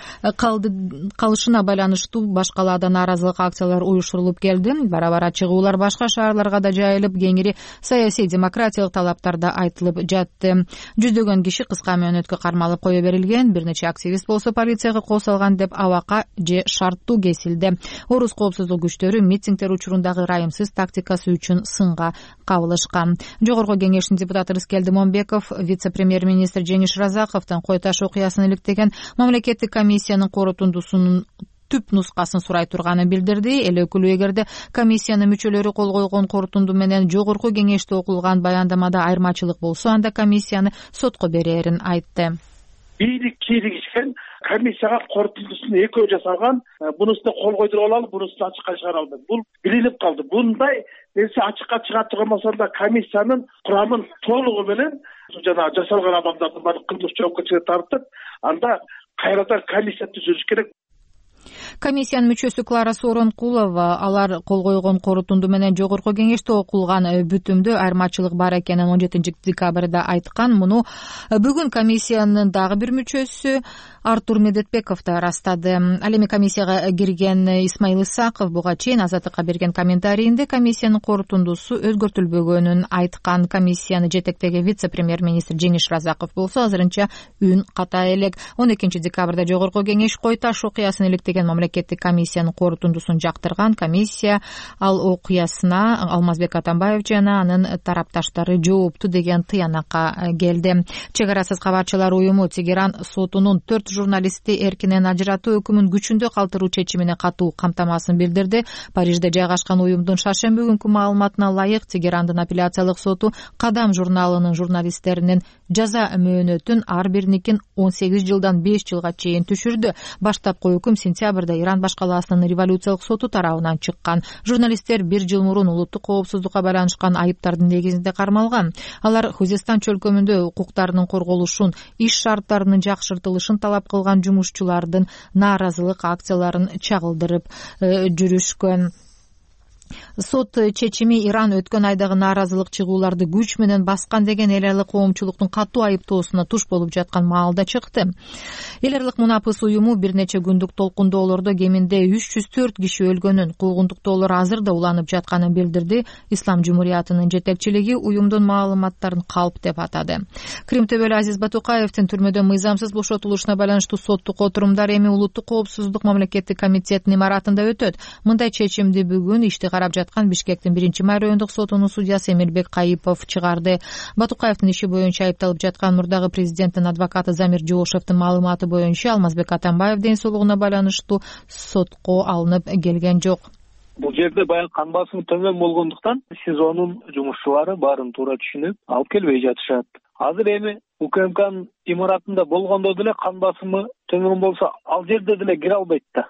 калышына байланыштуу башкаларда нааразылык акциялар уюштурулуп келди. Бара-бара чыгуулар башка шаарларга да жайылып, кеңири саясий демократиялык талаптар да айтылып жатты. Жүздөгөн киши кыска мөөнөткө кармалып кое берилген. Бир нече активист болсо полицияга кол салган деп абакка же шарттуу кесилди. Орус коопсуздук күчтөрү митингдер учурундагы ырайымсыз тактикасы үчүн сынга кабылышкан. Жогорку кеңештин депутаты Рыскелди Момбеков вице-премьер-министр Жеңиш Разаковдон Кой Таш окуясын иликтеген мамлекеттик комиссиянын корутундусунун түп нускасын сурай турганын билдирди. Эл өкүлү эгерде комиссиянын мүчөлөрү кол койгон корутунду менен жогорку кеңеште окулган баяндамада айырмачылык болсо, анда комиссияны сотко берээрин айтты. Бийлик кийлигишкен комиссияга корутундусун экөө жасалган, бунусуна кол койдуруп алалы, бунусун ачыкка чыгара албайт. Бул билинип калды. Bunday нерсе ачыкка чыга турган да комиссиянын курамын толугу менен жана жасалган адамдардын баардык кылмыш жоопкерчиликке тартып, анда кайрадан комиссия түзүлүш керек. Комиссиянын мүчөсү Клара Сооронкулова алар кол койгон корутунду менен жогорку кеңеште окулган бүтүмдө айырмачылык бар экенин 17 декабрда айткан. Муну бүгүн комиссиянын дагы бир мүчөсү Артур Медетбеков да ырастады. Ал эми комиссияга кирген Исмаил Исаков буга чейин Азаттыкка берген комментарийинде комиссиянын корутундусу өзгөртүлбөгөнүн айткан. Комиссияны жетектеген вице-премьер-министр Жеңиш Разаков болсо азырынча үн ката элек. 12 декабрда жогорку кеңеш Кой Таш окуясын иликтеген мамлекеттик комиссиянын корутундусун жактырган. Комиссия ал окуясына Алмазбек Атамбаев жана анын тарапташтары жоопту деген тыянакка келди. Чек арасыз кабарчылар уюму Тегеран сотунун 4 журналистти эркинен ажыратуу өкүмүн күчүндө калтыруу чечимине катуу камтамасын билдирди. Парижде жайгашкан уюмдун шаршемби күнкү маалыматына ылайык Тегерандын апелляциялык соту Кадам журналынын журналисттеринин жаза мөөнөтүн ар биринин 18 жылдан 5 жылга чейин түшүрдү. Баштапкы өкүм сентябрда Иран башкаласынын революциялык соту тарабынан чыккан. Журналисттер 1 жыл мурун улуттук коопсуздукка байланышкан айыптардын негизинде кармалган. Алар Хузестан чөлкөмүндө укуктарынын корголушун, иш шарттарынын жакшыртылышын талап кылган жумушчулардын нааразылык акцияларын чагылдырып жүрүшкөн. сот чечими Иран өткөн айдагы нааразылык чыгууларды күч менен баскан деген эл аралык коомчулуктун катуу айыптоосуна туш болуп жаткан маалда чыкты. Эл аралык мунапыс уюму бир нече күндүк толкундоолордо кеминде 304 киши өлгөнүн, куугунтуктоолор азыр да уланып жатканын билдирди. Ислам жумуриятынын жетекчилиги уюмдун маалыматтарын калп деп атады. Крим төбөлү Азиз Батукаевдин түрмөдөн мыйзамсыз бошотулушуна байланыштуу соттук отурумдар эми Улуттук коопсуздук мамлекеттик комитетинин имаратында өтөт. Мындай чечимди бүгүн ишти карап жаткан Бишкектин 1-май райондук сотунун судьясы Эмирбек Кайыпов чыгарды. Батукаевдин иши боюнча айыпталып жаткан мурдагы президенттин адвокаты Замир Жоошевдин маалыматы боюнча Алмазбек Атамбаев ден соолугуна байланыштуу сотко алынып келген жок. Бул жерде баягы кан басымы төмөн болгондуктан СИЗОнун жумушчулары баарын туура түшүнүп алып келбей жатышат. Азыр эми УКМКнын имаратында болгондо деле кан басымы төмөн болсо ал жерде деле кире албайт да.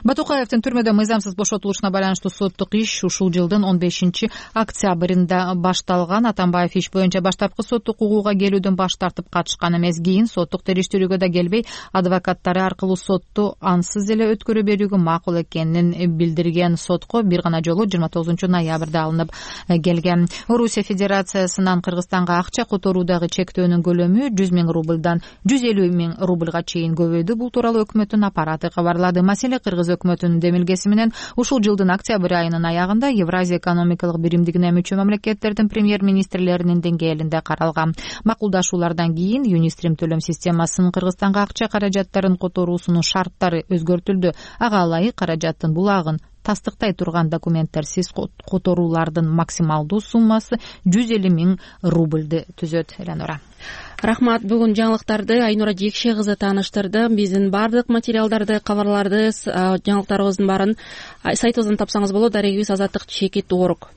Батукаевдин түрмөдө мыйзамсыз бошотулушуна байланыштуу соттук иш ушул жылдын 15-октябрында башталган. Атамбаев иш боюнча баштапкы соттук угууга келүүдөн баш тартып катышкан эмес. Кийин соттук териштирүүгө да келбей, адвокаттары аркылуу сотту ансыз эле өткөрө берүүгө макул экенин билдирген. Сотко бир гана жолу 29-ноябрда алынып келген. Орусия Федерациясынан Кыргызстанга акча которуудагы чектөөнүн көлөмү 100 000 рубльдан 150 000 рубльга чейин көбөйдү. Бул тууралуу өкмөттүн аппараты кабарлады. Маселе Кыргыз өкмөтүнүн демилгеси менен ушул жылдын октябрь айынын аягында Евразия экономикалык биримдигине мүчө мамлекеттердин премьер-министрлеринин деңгээлинде каралган. Макулдашуулардан кийин Юнистрим төлөм системасынын Кыргызстанга акча каражаттарын которуусунун шарттары өзгөртүлдү. Ага ылайык каражаттын булагын тастыктай турган документтерсиз которуулардын максималдуу суммасы 150 000 рубльды түзөт. Эленора. Рахмат. Бүгүн жаңылыктарды Айнура Жекше кызы тааныштырды. Биздин бардык материалдарды, кабарларды, жаңылыктарыбыздын баарын сайтыбыздан тапсаңыз болот. Дарегибиз Азаттык Чекит Орг.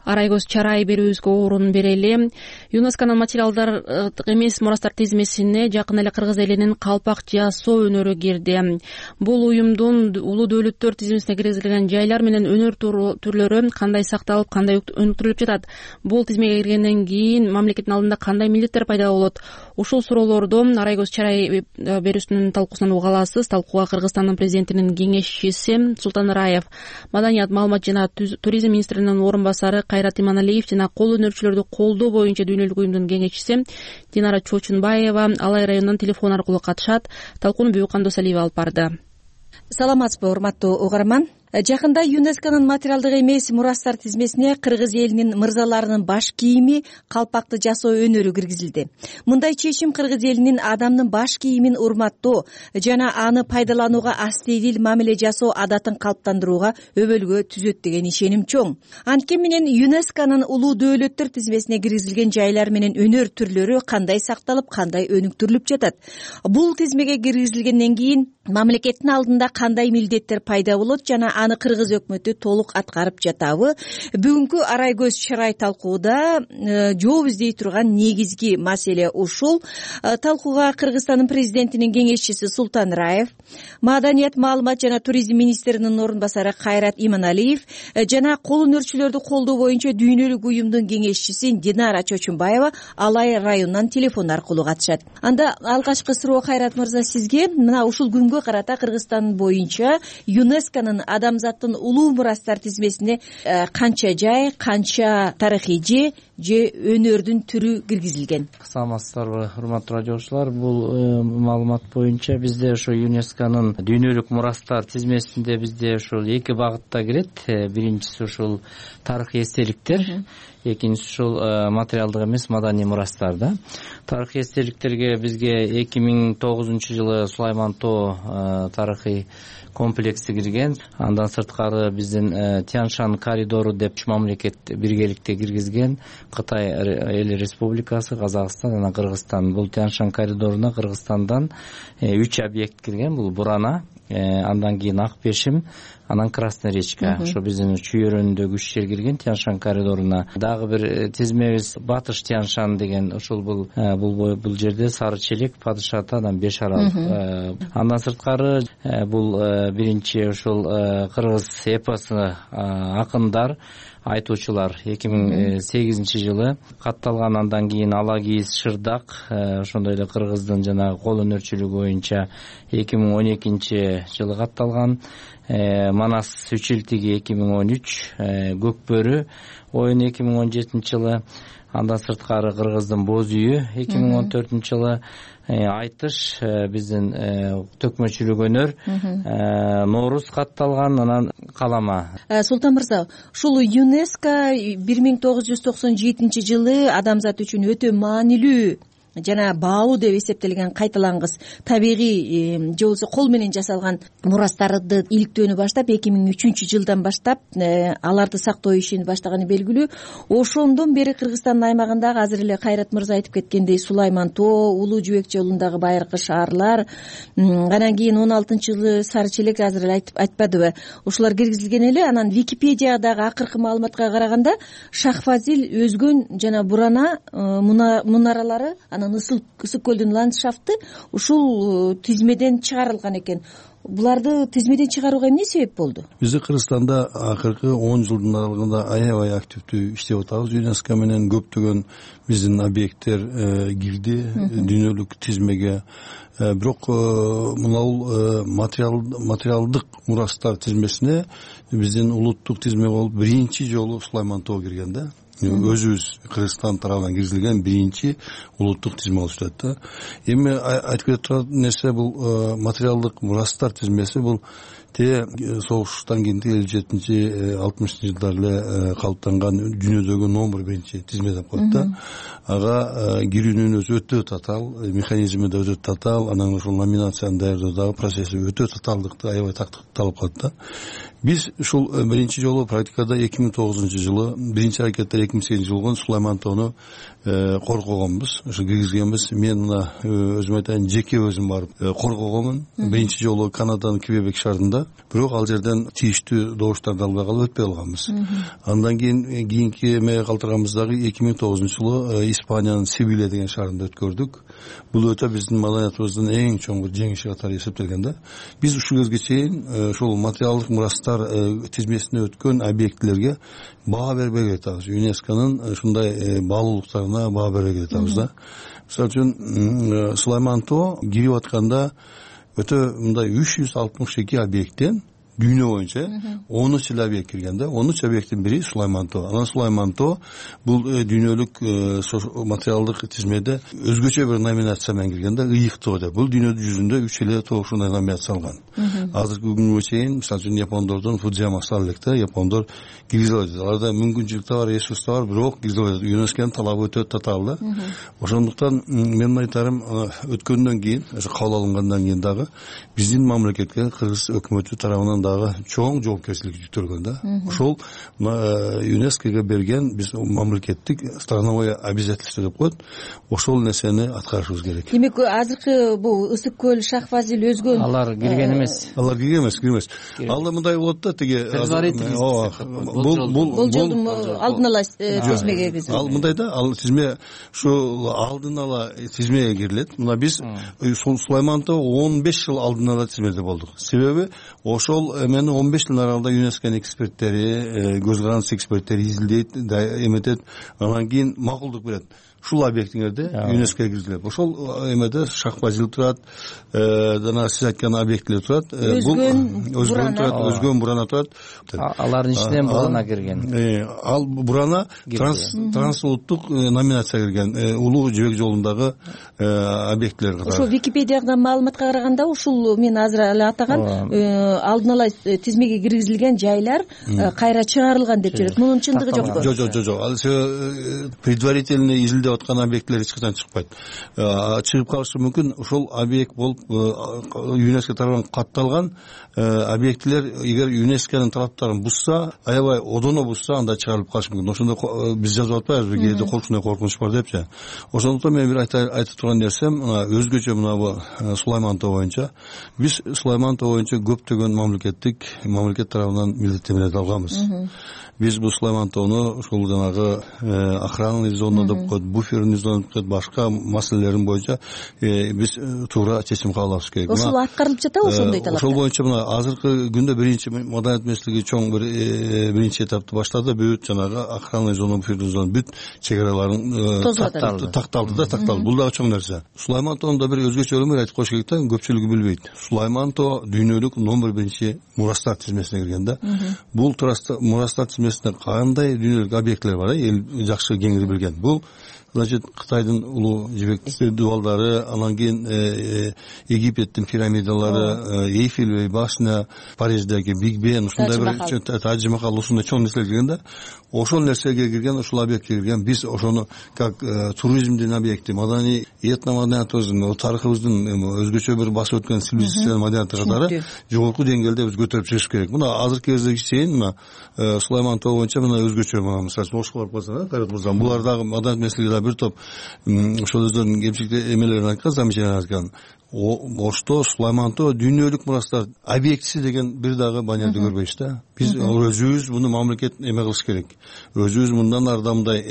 Арайгөз Чарай берүүбүзгө орун берели. ЮНЕСКОнун материалдардык эмес мурастар тизмесине жакын эле Кыргыз элинин калпак жасоо өнөрү кирди. Бул уюмдун улуу дөөлөттөр тизмесине киргизилген жайлар менен өнөр түрлөрү кандай сакталып, кандай өнүктүрүлүп жатат? Бул тизмеге киргенден кийин мамлекеттин алдында кандай милдеттер пайда болот? Ушул суроолорду Арайгөз Чарай берүүсүнүн талкуусунан уга аласыз. Талкууга Кыргызстандын президентинин кеңешчиси Султан Раев, Маданият, маалымат жана туризм министринин орун басары Кайрат Иманалиев жана кол өнөрчүлөрдү колдоо боюнча дүйнөлүк уюмдун кеңешчиси Динара Чочунбаева Алай районунан телефон аркылуу катышат. Талкууну Бүйүккан Досалиева алып барды. Саламатсызбы, урматтуу угарман. Жакында ЮНЕСКонун материалдык эмес мурастар тизмесине Кыргыз элинин мырзаларынын баш кийими, калпакты жасоо өнөрү киргизилди. Мындай чечим Кыргыз элинин адамдын баш кийимин урматтоо жана аны пайдаланууга астейдил мамиле жасоо адатын калыптандырууга өбөлгө түзөт деген ишеним чоң. Анткени менен ЮНЕСКонун улуу дөөлөттөр тизмесине киргизилген жайлар менен өнөр түрлөрү кандай сакталып, кандай өнүктүрүлүп жатат? Бул тизмеге киргизилгенден кийин мамлекеттин алдында кандай милдеттер пайда болот жана аны Кыргыз өкмөтү толук аткарып жатабы? Бүгүнкү Арайгөз Чарай талкууда жооп издей турган негизги маселе ушул. Талкууга Кыргызстандын президентинин кеңешчиси Султан Раев, Маданият, маалымат жана туризм министринин орун басары Кайрат Иманалиев жана кол өнөрчүлөрдү колдоо боюнча дүйнөлүк уюмдун кеңешчиси Динара Чочунбаева Алай районунан телефон аркылуу катышат. Анда алгачкы суроо Кайрат мырза сизге. Мына ушул күнгө карата Кыргызстан боюнча ЮНЕСКонун адамзаттын улуу мурастар тизмесине канча жай, канча тарыхый же өнөрдүн түрү киргизилген? Саламатсыздарбы, урматтуу радиочулар. Бул маалымат боюнча бизде ошо ЮНЕСКонун дүйнөлүк мурастар тизмесинде бизде ушул эки багытта кирет. Биринчиси ушул тарыхый эстеликтер, экинчиси ушул материалдык эмес маданий мурастар да. Тарыхый эстеликтерге бизге 2009-жылы Сулайман Тоо тарыхый комплекси кирген. Андан сырткары биздин Тяньшань коридору деп мамлекет биргеликте киргизген. Кытай эл республикасы, Казакстан жана Кыргызстан. Бул Тяньшань коридоруна Кыргызстандан 3 объект кирген. Бул Бурана, андан кийин Ак Бешим, анан Красная речка. Ошо биздин чүйөрүндөгү 3 жер кирген Тяньшань коридоруна. Дагы бир тизмебиз Батыш Тяньшань деген, ошол бул жерде Сары Челек, Падыш Ата, анан Беш арал. Андан сырткары бул биринчи ошол кыргыз эпосы акындар айтуучулар 2008 жылы катталган. Андан кийин Ала кийиз Шырдак, ошондой эле кыргыздын жанагы кол өнөрчүлүгү боюнча 2012 жылы катталган. Манас үчилтиги 2013, Көкбөрү оюну 2017 жылы. Андан сырткары кыргыздын Боз үйү 2014 жылы. Айтыш биздин төкмөчүлүк өнөр Нооруз катталган. Анан Калама. Султан мырза, ушул ЮНЕСКО 1997 жылы адамзат үчүн өтө маанилүү жана баалуу деп эсептелген кайталангыс табигый же болбосо кол менен жасалган мурастарды иликтөөнү баштап 2003 жылдан баштап аларды сактоо ишин баштаганы белгилүү. Ошондон бери Кыргызстандын аймагындагы азыр эле Кайрат мырза айтып кеткендей Сулайман Тоо, Улуу Жүбек жолундагы байыркы шаарлар, анан кийин 16 жылы Сары Челек азыр эле айтпадыбы, ушулар киргизилген эле. Анан Википедиядагы акыркы маалыматка караганда Шахфазил, Өзгөн жана Бурана мунаралары, Ысык көлдүн ландшафты ушул тизмеден чыгарылган экен. Буларды тизмеден чыгарууга эмне себеп болду? Бизде Кыргызстанда акыркы 10 жылдын аралыгында аябай активдүү иштеп атабыз. ЮНЕСКО менен көптөгөн биздин объекттер кирди дүйнөлүк тизмеге. Бирок мынау материалдык мурастар тизмесине биздин улуттук тизме болуп биринчи жолу Сулайман Тоо кирген да. Өзүбүз Кыргызстан тарабынан киргизилген биринчи улуттук тизме болуп атат да. Эми айтып кетип турган нерсе бул материалдык мурастар тизмеси бул согуштан кийинки 57-60 жылдар эле калыптанган дүйнөдөгү номер биринчи тизме деп коет да. Ага кирүүнүн өзү өтө татаал, механизми да өтө татаал, анан ошол номинацияны даярдоодагы процесси өтө татаалдыкты, аябай талап кылат да. Биз ушул биринчи жолу практикада 2009 жылы, биринчи аракеттер 2008 жылы болгон Сулайман Тоону коргогонбуз, ушу киргизгенбиз. Мен мына өзүм айтайын, жеке өзүм барып коргогонмун. Биринчи жолу Канаданын Квебек шаарында, бирок ал жерден тийиштүү добуштарды албай калып өтпөй калганбыз. Андан кийинки эмеге калтырганбыз дагы 2009 жылы Испаниянын Севилья деген шаарында өткөрдүк. Бул өтө биздин маданиятыбыздын эң чоң бир жеңиши катары эсептелген да. Биз ушул кезге чейин ушул материалдык мурастар тизмесине өткөн объектилерге баа бербей жатабыз. ЮНЕСКОнун ушундай баалуулуктарына баа бербей жатабыз да. Мисалы үчүн Сулайман Тоо кирип атканда өтө мындай 362 объекттен дүйнө боюнча 13 эле объект кирген да. 13 объекттин бири Сулайман Тоо. Анан Сулайман Тоо бул дүйнөлүк материалдык тизмеде өзгөчө бир номинация менен кирген да, ыйык тоо деп. Бул дүйнө жүзүндө 3 эле тоо ушундай номинация алган. Азыркы күнгө чейин мисалы үчүн япондордун Фудзияма элек да, япондор киргизе алат. Аларда мүмкүнчүлүк да бар, ресурс да бар, бирок киргизе алат. ЮНЕСКОнун талабы өтө татаал да. Ошондуктан мен айтарым, өткөндөн кийин, ошо кабыл алынгандан кийин дагы биздин мамлекетке Кыргыз өкмөтү тарабынан дагы чоң жоопкерчилик жүктөлгөн да. Ошол ЮНЕСКОго берген биз мамлекеттик страновое обязательство деп коет. Ошол нерсени аткарышыбыз керек. Демек азыркы бул Ысык көл, Шахфазил, Өзгөн алар кирген эмес. Алар кирген эмес. Ал мындай болот да, тиги бул жолдун алдын ала тизмеге киргизилет. Ал мындай да, ал тизме ушу алдын ала тизмеге кирилет. Мына биз Сулайман Тоо 15 жыл алдын ала тизмеде болдук. Себеби ошол эми 15 жылдын аралыгында ЮНЕСКОнун эксперттери, көз карандысыз эксперттери изилдейт, эметет, анан кийин макулдук берет. Ушул объектиңерде ЮНЕСКОго киргизилет. Ошол эмеде Шахфазил турат, жана сиз айткан объектилер турат. Өзгөн, Бурана турат. Алардын ичинен Бурана кирген. Ал Бурана трансулуттук номинация кирген. Улуу Жибек жолундагы объектилер катары. Ошол Википедияга маалыматка караганда ушул мен азыр эле атаган алдын ала тизмеге киргизилген жайлар кайра чыгарылган деп жүрөт. Мунун чындыгы жокпу? Жок. Ал предварительный изилдеп аткан объекттер эч качан чыкпайт. Чыгып калышы мүмкүн. Ошол объект болуп ЮНЕСКО тарабынан катталган объектилер эгер ЮНЕСКОнун талаптарын бузса, аябай одоно бузса, анда чыгарылып калышы мүмкүн. Ошондо биз жазып атпайбызбы, кээде коркунуч бар депчи. Ошондуктан мен бир айтып турган нерсем, өзгөчө мына бу Сулайман Тоо боюнча биз Сулайман Тоо боюнча көптөгөн мамлекет мамлекет тарабынан милдеттенмелерди алганбыз. Биз бул Сулаймантоону ушул жанагы охранный зона деп коет, буферный зона деп коет, башка маселелерин боюнча биз туура чечим кабыл алышыбыз керек. Ошол аткарылып жатабы ошондой талап? Ошол боюнча мына азыркы күндө биринчи маданият министрлиги чоң биринчи этапты баштады. Бүт жанагы охранный зона, буферный зона бүт чек араларын такталды. Бул дагы чоң нерсе. Сулаймантоонун бир өзгөчөлүгүн айтып коюш керек да, көпчүлүгү билбейт. Сулаймантоо дүйнөлүк номер 1 мурастар тизмесине кирген да. Бул мурастар тизмесинде кандай дүйнөлүк объектилер бар, эл жакшы кеңири билген. Бул значит Кытайдын улуу жибек дубалдары, анан кийин Египеттин пирамидалары, Эйфель башня, Париждеги Биг Бен, ушундай бир Тадж Махал, ушундай чоң нерселер кирген да. Ошол нерсеге кирген, ошол объектке кирген. Биз ошону как туризмдин объекти, маданий этномаданиятыбыздын, тарыхыбыздын өзгөчө бир басып өткөн цивилизациялык маданияты катары жогорку деңгээлде биз көтөрүп чыгыш керек. Мына азыркы кезге чейин мына Сулаймантоо боюнча мына өзгөчө мисалы Ошколор болсо, Кайрат мырза, булар дагы маданият министрлиги бир топ ошол өздөрүнүн кемчиликтер эмелерин айткан, замечаниялар айткан. Ошто Сулаймантоо дүйнөлүк мурастар объектиси деген бир дагы банерди көрбөйбүз да. Биз өзүбүз муну мамлекет эме кылыш керек. Өзүбүз мындан ары да мындай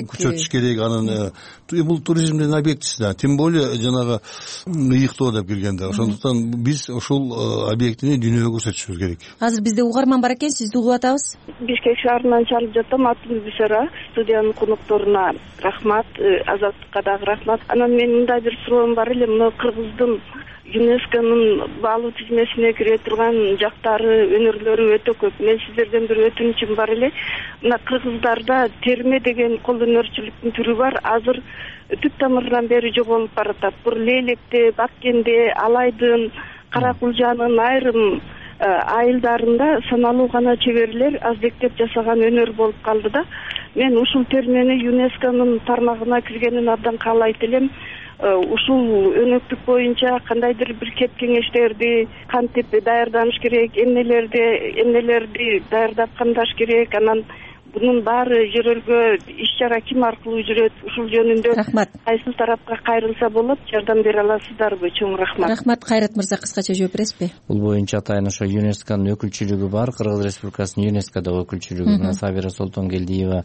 күчөтүш керек. Анан бул туризмдин объектиси да. Тем более жанагы ыйыктоо деп киргенде. Ошондуктан биз ушул объектини дүйнөгө көрсөтүшүбүз керек. Азыр бизде угарман бар экен, сизди угуп атабыз. Бишкек шаарынан чалып жатам, атым Бүсера. Студиянын конокторуна рахмат, Азаттыкка дагы рахмат. Анан менин мындай бир суроом бар эле. Мына Кыргыздын ЮНЕСКОнун баалуу тизмесине кире турган жактары, өнөрлөрү өтө көп. Мен сиздерден бир өтүнүчүм бар эле. Мына Кыргыздарда терме деген кол өнөрчүлүктүн түрү бар. Азыр түп тамырынан бери жоголуп баратат. Бул Лейлекте, Баткенде, Алайдын, Каракулжанын айрым айылдарында саналуу гана чеберлер аздектеп жасаган өнөр болуп калды да. Мен ушул термени ЮНЕСКОнун тармагына киргенин абдан каалайт элем. Ушул өнөктүк боюнча кандайдыр бир кеп кеңештерди кантип даярданыш керек, эмнелерди даярдап камдаш керек, анан бунун баары жөрөлгө иш-чара ким аркылуу жүрөт, ушул жөнүндө кайсы тарапка кайрылса болот, жардам бере аласыздарбы? Чоң рахмат. Рахмат. Кайрат мырза, кыскача жооп бересизби? Бул боюнча атайын ошо ЮНЕСКОнун өкүлчүлүгү бар, Кыргыз Республикасынын ЮНЕСКОдо өкүлчүлүгү Сабира Солтонгелдиева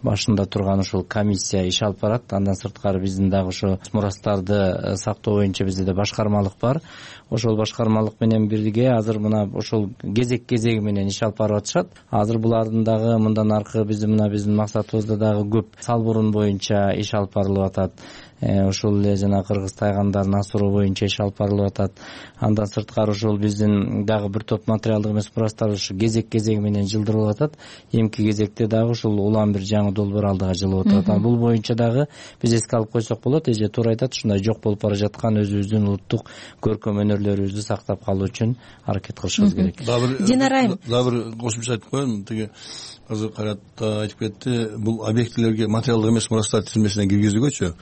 башында турган ушул комиссия иш алып барат. Андан сырткары биздин дагы ошо мурастарды сактоо боюнча бизде да башкармалык бар. Ошол башкармалык менен бирге азыр мына ошол кезек менен иш алып барып атышат. Азыр булардын дагы мындан аркы биздин максатыбызда дагы көп салбурун боюнча иш алып барылып атат. Ошол эле жана кыргыз тайгандарын асыроо боюнча иш алып барылып атат. Андан сырткары ошол биздин дагы бир топ материалдык эмес мурастар ушу кезек менен жылдырылып атат. Эмки кезекте дагы ушул улам бир жаңы долбоор алдыга жылып атат. Бул боюнча дагы биз эске алып койсок болот. Эже туура айтат, ушундай жок болуп бара жаткан өзүбүздүн улуттук көркөм өнөрлөрүбүздү сактап калуу үчүн аракет кылышыбыз керек. Динара айым, дагы бир кошумча айтып коеюн. Тиги азыр Кайрат айтып кетти, бул объектилерге материалдык эмес мурастар тизмесине киргизүүгөчү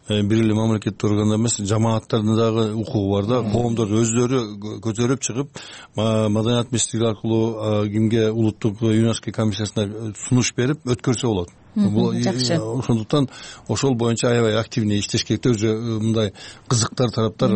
бир эле мамлекеттик органдар эмес, жамааттардын дагы укугу бар да. Коомдор өздөрү көтөрүп чыгып, маданият министрлиги аркылуу кимге улуттук ЮНЕСКО комиссиясына сунуш берип өткөрсө болот. Жакшы. Ошондуктан ошол боюнча аябай активный иштеш керек. Өзү мындай кызыктар тараптар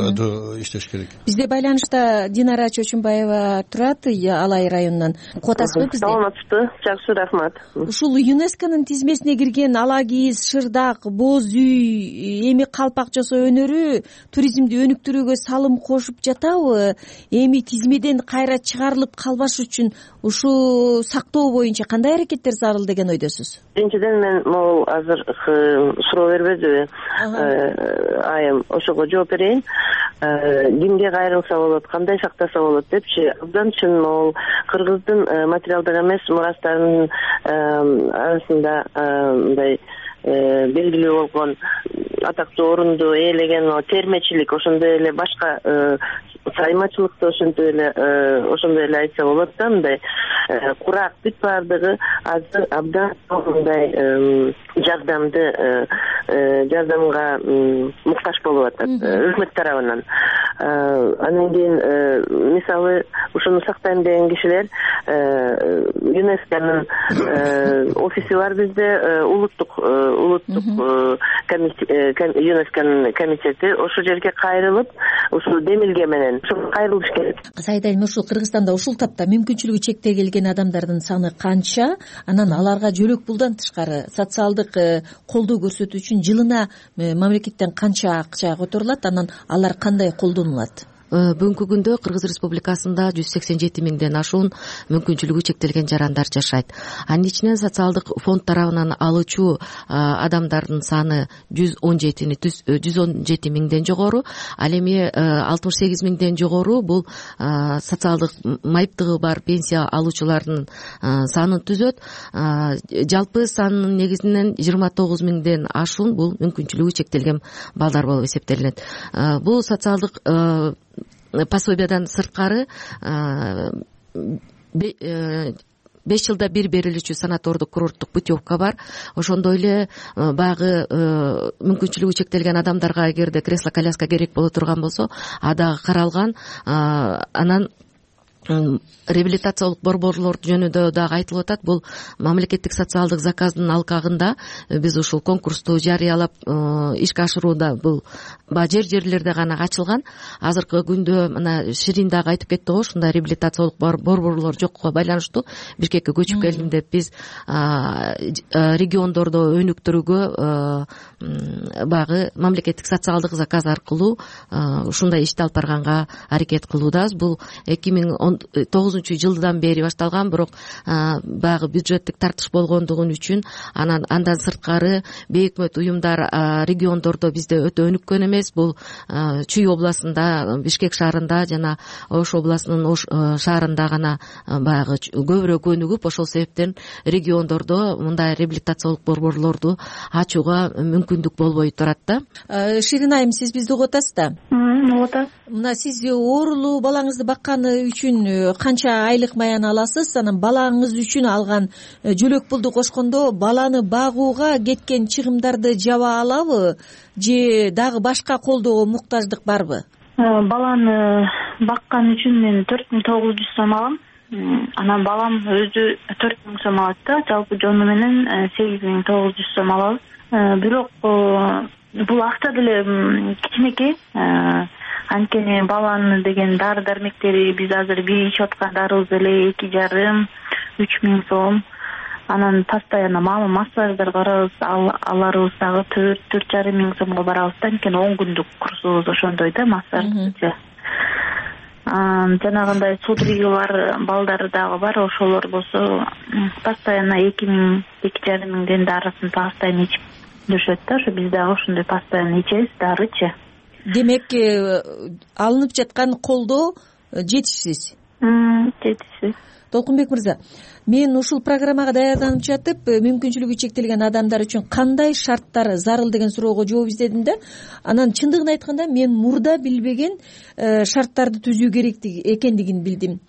иштеш керек. Бизде байланышта Динара Чочумбаева турат, Алай районунан. Котасызбы бизде? Саламатсызбы? Жакшы, рахмат. Ушул ЮНЕСКОнун тизмесине кирген ала кийиз, шырдак, боз үй, эми калпак жасоо өнөрү туризмди өнүктүрүүгө салым кошуп жатабы? Эми тизмеден кайра чыгарылып калбаш үчүн ушу сактоо боюнча кандай аракеттер зарыл деген ойдосуз? Биринчиден мен могул азыр суроо бербедиби? Айым, ошого жооп берейин. Кимге кайрылса болот, кандай сактаса болот депчи. Абдан чын могул Кыргыздын материалдык эмес мурастарынын арасында мындай белгилүү болгон атактуу орунду ээлеген термечилик, ошондой эле башка саймачылыкты ошондой эле айтса болот да, мындай курак бүт баардыгы азыр абдан мындай жардамга муктаж болуп атат өкмөт тарабынан. Анан кийин мисалы ушуну сактайм деген кишилер ЮНЕСКОнун офиси бар бизде, улуттук ЮНЕСКОнун комитети, ошол жерге кайрылып ушул демилге менен кайрылыш керек. Саид айым, ушул Кыргызстанда ушул тапта мүмкүнчүлүгү чектелген адамдардын саны канча? Анан аларга жөлөк пулдан тышкары социалдык колдоо көрсөтүү үчүн жылына мамлекеттен канча акча которулат? Анан алар кандай колдонулат? Бүгүнкү күндө Кыргыз Республикасында 187 миңден ашуун мүмкүнчүлүгү чектелген жарандар жашайт. Анын ичинен социалдык фонд тарабынан алуучу адамдардын саны 117 миңден жогору, ал эми 68 миңден жогору бул социалдык майыптыгы бар пенсия алуучулардын санын түзөт. Жалпы санын негизинен 29 миңден ашуун бул мүмкүнчүлүгү чектелген балдар болуп эсептелинет. Бул социалдык пособиядан сырткары 5 жылда бир берилүүчү санатордук курорттук путевка бар. Ошондой эле баягы мүмкүнчүлүгү чектелген адамдарга эгерде кресло коляска керек боло турган болсо, а дагы каралган. Анан реабилитациялык борборлор жөнүндө дагы айтылып атат. Бул мамлекеттик социалдык заказдын алкагында биз ушул конкурсту жарыялап ишке ашырууда бул жерлерде гана ачылган. Азыркы күндө мына Ширин дагы айтып кетти го, ушундай реабилитациялык борборлор жокко байланыштуу Бишкекке көчүп келдим деп биз региондордо өнүктүрүүгө баягы мамлекеттик социалдык заказ аркылуу ушундай ишти алып барганга аракет кылуудабыз. Бул 2009-жылдан бери башталган, бирок баягы бюджеттик тартыш болгондугу үчүн андан сырткары бейөкмөт уюмдар региондордо бизде өтө өнүккөн эмес. Бул Чүй областында, Бишкек шаарында жана Ош областынын Ош шаарында гана баягы көбүрөөк өнүгүп, ошол себептен региондордо мындай реабилитациялык борборлорду ачууга мүмкүндүк болбой турат да. Ширин айым, сиз бизди угуп атасыз да? Угуп атам. Мына сиз оорулуу балаңызды бакканы үчүн канча айлык маян аласыз? Анан балаңыз үчүн алган жөлөк пулду кошкондо баланы багууга кеткен чыгымдарды жаба алабы же дагы башка колдоого муктаждык барбы? Баланы баккан үчүн мен 4900 сом алам. Анан балам өзү 4000 сом алат да. Жалпы жону менен 8900 сом алабыз. Бирок бул акча деле кичинекей. Анткени баланы деген дары дармектери биз азыр бир ичип аткан дарыбыз эле 2,5–3 миң сом. Анан постоянно массаждар барабыз, аларыбыз дагы 4–4,5 миң сомго барабыз да. Анткени 10 күндүк курсубуз ошондой да, массажчы. Жанагындай судороги бар балдары дагы бар, ошолор болсо постоянно 2 миң, 2,5 миңден дарысын постоянно ичип жүрүшөт да. Ошо биз дагы ошондой постоянно ичебиз дарычы. Демек, алынып жаткан колдоо жетишсиз. Жетишсиз. Толкунбек мырза, мен ушул программага даярданып жатып, мүмкүнчүлүгү чектелген адамдар үчүн кандай шарттар зарыл деген суроого жооп издедим да. Анан чындыгын айтканда мен мурда билбеген шарттарды түзүү керек экендигин билдим.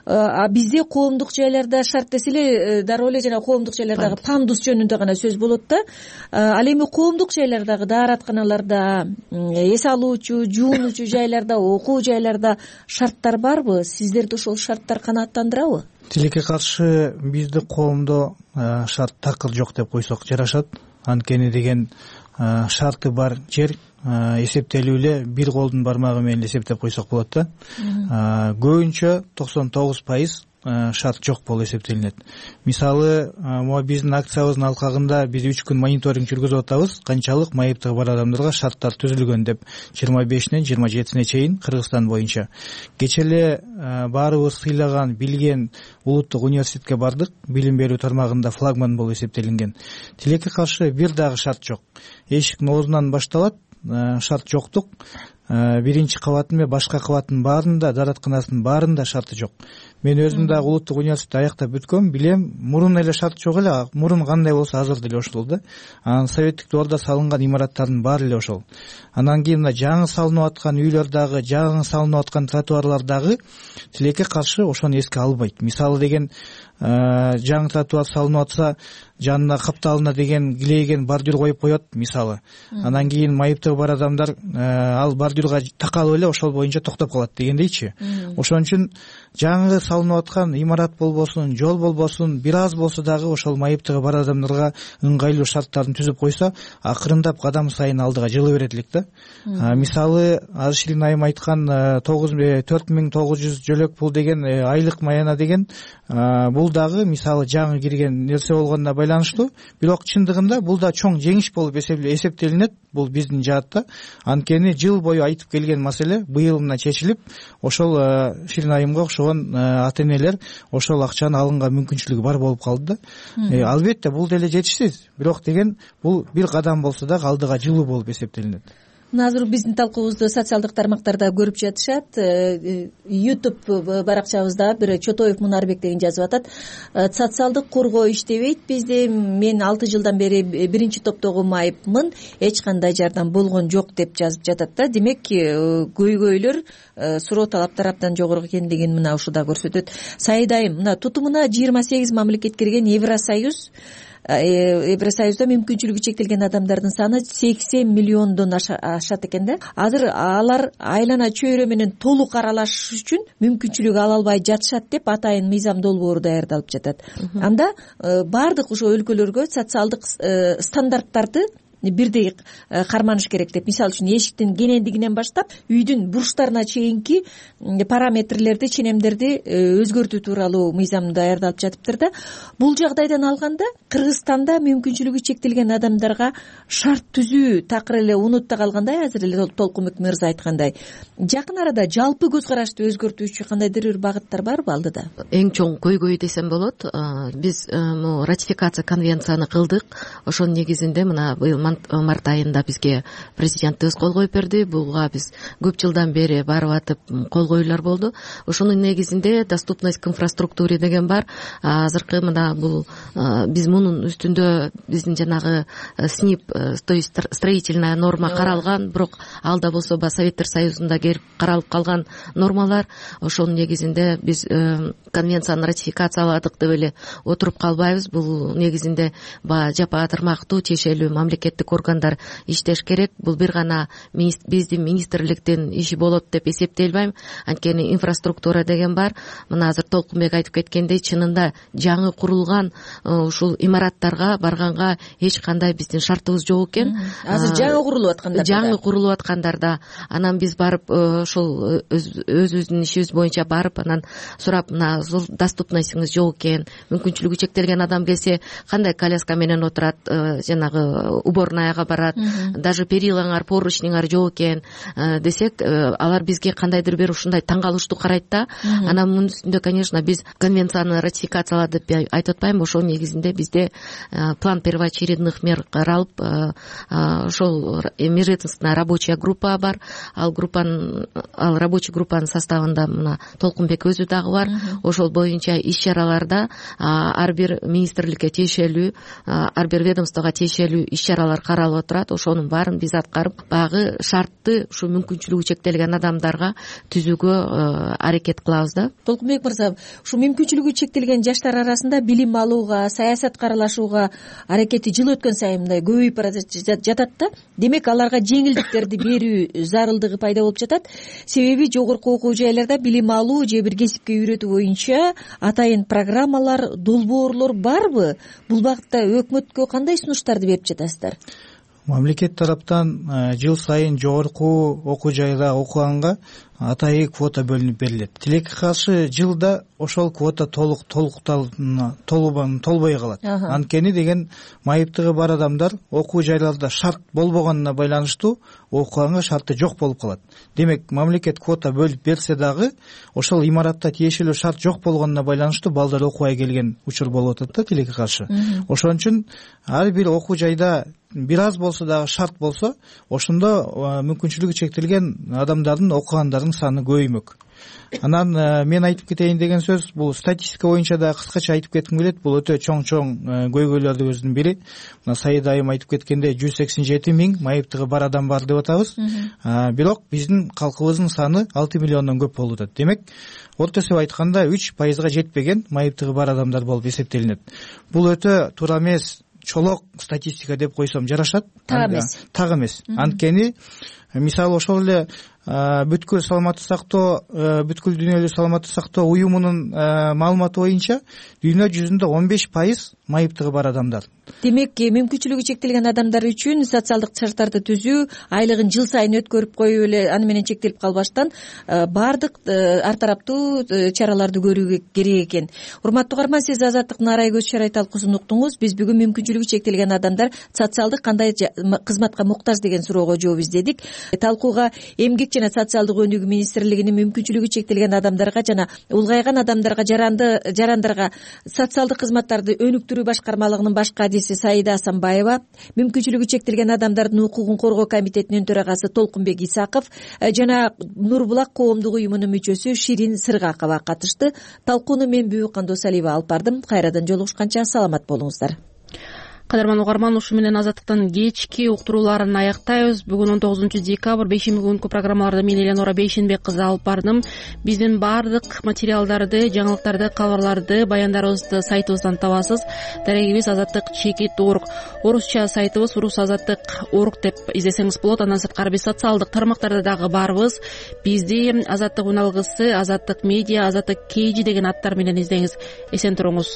Бизде коомдук жайларда шарт десе эле дароо эле жана коомдук жайлардагы пандус жөнүндө гана сөз болот да. Ал эми коомдук жайлардагы дааратканаларда, эс алуучу, жуунуучу жайларда, окуу жайларда шарттар барбы? Сиздерди ошол шарттар канааттандырабы? Тилекке каршы бизде коомдо шарт такыр жок деп койсок жарашат. Анткени деген шарты бар жер эсептелүү эле бир колдун бармагы менен эсептеп койсок болот да. Көбүнчө 99% шарт жок болуп эсептелинет. Мисалы, могу биздин акциябыздын алкагында биз 3 күн мониторинг жүргүзүп атабыз. Канчалык майыптыгы бар адамдарга шарттар түзүлгөн деп 25-нен 27-сине чейин Кыргызстан боюнча. Кечээ эле баарыбыз сыйлаган, билген улуттук университетке бардык. Билим берүү тармагында флагман болуп эсептелинген. Тилекке каршы бир дагы шарт жок. Эшиктин оозунан башталат, шарт жоктук. Биринчи кабатын же башка кабаттын баарында, дааратканасынын баарында шарты жок. Мен өзүм дагы улуттук университетти аяктап бүткөм, билем, мурун эле шарт жок эле, мурун кандай болсо азыр деле ошол да. Анан советтик доордо салынган имараттардын баары эле ошол. Анан кийин мына жаңы салынып аткан үйлөр дагы, жаңы салынып аткан тротуарлар дагы тилекке каршы ошону эске албайт. Мисалы деген жаңы тротуар салынып атса жанына капталына деген килейген бордюр коюп коет мисалы. Анан кийин майыптыгы бар адамдар ал бордюрга такалып эле ошол боюнча токтоп калат дегендейчи. Ошон үчүн жаңы салынып аткан имарат болбосун, жол болбосун, бир аз болсо дагы ошол майыптыгы бар адамдарга ыңгайлуу шарттарын түзүп койсо, акырындап кадам сайын алдыга жылы берет элек да. Мисалы азыр Шилин айым айткан 4900 жөлөк пул деген айлык маяна деген бул дагы мисалы жаңы кирген нерсе болгонуна байланыштуу, бирок чындыгында бул да чоң жеңиш болуп эсептелинет бул биздин жаатта. Анткени жыл бою айтып келген маселе быйыл мына чечилип, ошол Шилин айымга окшогон ата энелер ошол акчаны алганга мүмкүнчүлүгү бар болуп калды да. Албетте бул деле жетишсиз, бирок деген бул бир кадам болсо дагы алдыга жылуу болуп эсептелинет. Азыр биздин талкуубузду социалдык тармактарда көрүп жатышат. YouTube баракчабызда бир Чотоев Мунарбек деген жазып атат. Социалдык коргоо иштебейт бизде. Мен 6 жылдан бери биринчи топтогу майыпмын. Эч кандай жардам болгон жок деп жазып жатат да. Демек, көйгөйлөр суроо талаптар абдан жогору экендигин мына ушуда көрсөтөт. Саида айым, мына тутумуна 28 мамлекет кирген Евросоюзда мүмкүнчүлүгү чектелген адамдардын саны 80 миллиондон ашат экен да. Азыр алар айлана чөйрө менен толук аралашыш үчүн мүмкүнчүлүк ала албай жатышат деп атайын мыйзам долбоору даярдалып жатат. Анда баардык ошо өлкөлөргө социалдык стандарттарды бирдей карманыш керек деп. Мисалы үчүн эшиктин кенендигинен баштап үйдүн бурчтарына чейинки параметрлерди, ченемдерди өзгөртүү тууралуу мыйзам даярдалып жатыптыр да. Бул жагдайдан алганда Кыргызстанда мүмкүнчүлүгү чектелген адамдарга шарт түзүү такыр эле унутта калгандай, азыр эле Толкунбек мырза айткандай. Жакын арада жалпы көз карашты өзгөртүүчү кандайдыр бир багыттар барбы алдыда? Эң чоң көйгөй десем болот. Биз ратификация конвенцияны кылдык. Ошонун негизинде мына быйыл март айында бизге президентибиз кол коюп берди. Буга биз көп жылдан бери барып атып кол коюулар болду. Ошонун негизинде доступность к инфраструктуре деген бар. Азыркы мына бул биз мунун үстүндө биздин жанагы СНИП, то есть строительная норма каралган, бирок алда болсо Советтер Союзунда келип каралып калган нормалар. Ошонун негизинде биз конвенцияны ратификацияладык деп эле отуруп калбайбыз. Бул негизинде жапа тармактуу тиешелүү мамлекеттик органдар иштеш керек. Бул бир гана биздин министрликтин иши болот деп эсептелбейм. Анткени инфраструктура деген бар. Мына азыр Толкунбек айтып кеткендей, чынында жаңы курулган ушул имараттарга барганга эч кандай биздин шартыбыз жок экен. Азыр жаңы курулуп аткандарда анан биз барып ошол өзүбүздүн ишибиз боюнча барып анан сурап, мына доступностьңиз жок экен, мүмкүнчүлүгү чектелген адам келсе кандай коляска менен отурат, жанагы уборнаяга барат, даже перилаңар, поручниңар жок экен десек, алар бизге кандайдыр бир ушундай таң калыштуу карайт да. Анан мунун үстүндө, конечно, биз конвенцияны ратификацияладык деп айтып атпайм. Ошол негизинде бизде план первоочередных мер каралып, ошол межведомственная рабочая группа бар. Ал рабочий группанын составында мына Толкунбек өзү дагы бар. Ошол боюнча иш чараларда ар бир министрликке тиешелүү, ар бир ведомствого тиешелүү иш чаралар каралып отурат. Ошонун баарын биз аткарып, багы шартты ушу мүмкүнчүлүгү чектелген адамдарга түзүүгө аракет кылабыз да. Толкунбек мырза, ушу мүмкүнчүлүгү чектелген жаштар арасында билим алууга, саясатка аралашууга аракети жыл өткөн сайын мындай көбөйүп бара жатат да. Демек, аларга жеңилдиктерди берүү зарылдыгы пайда болуп жатат. Себеби жогорку окуу жайларда билим алуу же бир кесипке үйрөтүү боюнча атайын программалар, долбоорлор барбы? Бул багытта өкмөткө кандай сунуштарды берип жатасыздар? Мамлекет тараптан жыл сайын жогорку окуу жайда окуганга атайын квота бөлүнүп берилет. Тилекке каршы жылда ошол квота толбой калат. Анткени деген майыптыгы бар адамдар окуу жайларда шарт болбогонуна байланыштуу окуганга шарты жок болуп калат. Демек, мамлекет квота бөлүп берсе дагы ошол имаратта тиешелүү шарт жок болгонуна байланыштуу балдар окубай келген учур болуп атат да тилекке каршы. Ошон үчүн ар бир окуу жайда бир аз болсо дагы шарт болсо, ошондо мүмкүнчүлүгү чектелген адамдардын окугандардын саны көбөймөк. Анан мен айтып кетейин деген сөз, бул статистика боюнча да кыскача айтып кетким келет. Бул өтө чоң көйгөйлөрдүн бири. Мына Саида айым айтып кеткендей 187 миң майыптыгы бар адам бар деп атабыз. Бирок биздин калкыбыздын саны 6 миллиондон көп болуп атат. Демек, орто эсеп айтканда 3% жетпеген майыптыгы бар адамдар болуп эсептелинет. Бул өтө туура эмес, чолок статистика деп койсом жарашат. Так эмес. Анткени мисалы ошол эле бүткүл саламаттык сактоо, бүткүл дүйнөлүк саламаттык сактоо уюмунун маалыматы боюнча дүйнө жүзүндө 15% майыптыгы бар адамдар. Демек, мүмкүнчүлүгү чектелген адамдар үчүн социалдык шарттарды түзүү, айлыгын жыл сайын өткөрүп коюп эле аны менен чектелип калбаштан баардык ар тараптуу чараларды көрүү керек экен. Урматтуу угарман, сиз Азаттыктын арай көз чарай талкуусун уктуңуз. Биз бүгүн мүмкүнчүлүгү чектелген адамдар социалдык кандай кызматка муктаж деген суроого жооп издедик. Талкууга Эмгек жана социалдык өнүгүү министрлигинин мүмкүнчүлүгү чектелген адамдарга жана улгайган адамдарга жарандарга социалдык кызматтарды өнүктүрүү башкармалыгынын баш кадиси Саида Асанбаева, мүмкүнчүлүгү чектелген адамдардын укугун коргоо комитетинин төрагасы Толкунбек Исаков жана Нурбулак коомдук уюмунун мүчөсү Ширин Сыргакова катышты. Талкууну мен Бүбүкан Досалиева алып бардым. Кайрадан жолугушканча саламат болуңуздар. Кадырман угарман, ушу менен Азаттыктын кечки уктурууларын аяктайбыз. Бүгүн 19 декабрь бейшемби күнкү программаларды мен Эленора Бейшенбек кызы алып бардым. Биздин баардык материалдарды, жаңылыктарды, кабарларды, баяндарыбызды сайтыбыздан табасыз. Дарегибиз azattik.org. Орусча сайтыбыз rusazattik.org деп издесеңиз болот. Андан сырткары биз социалдык тармактарда дагы барбыз. Бизди Азаттык үналгысы, Азаттык медиа, Азаттык KG деген аттар менен издеңиз. Эсен туруңуз.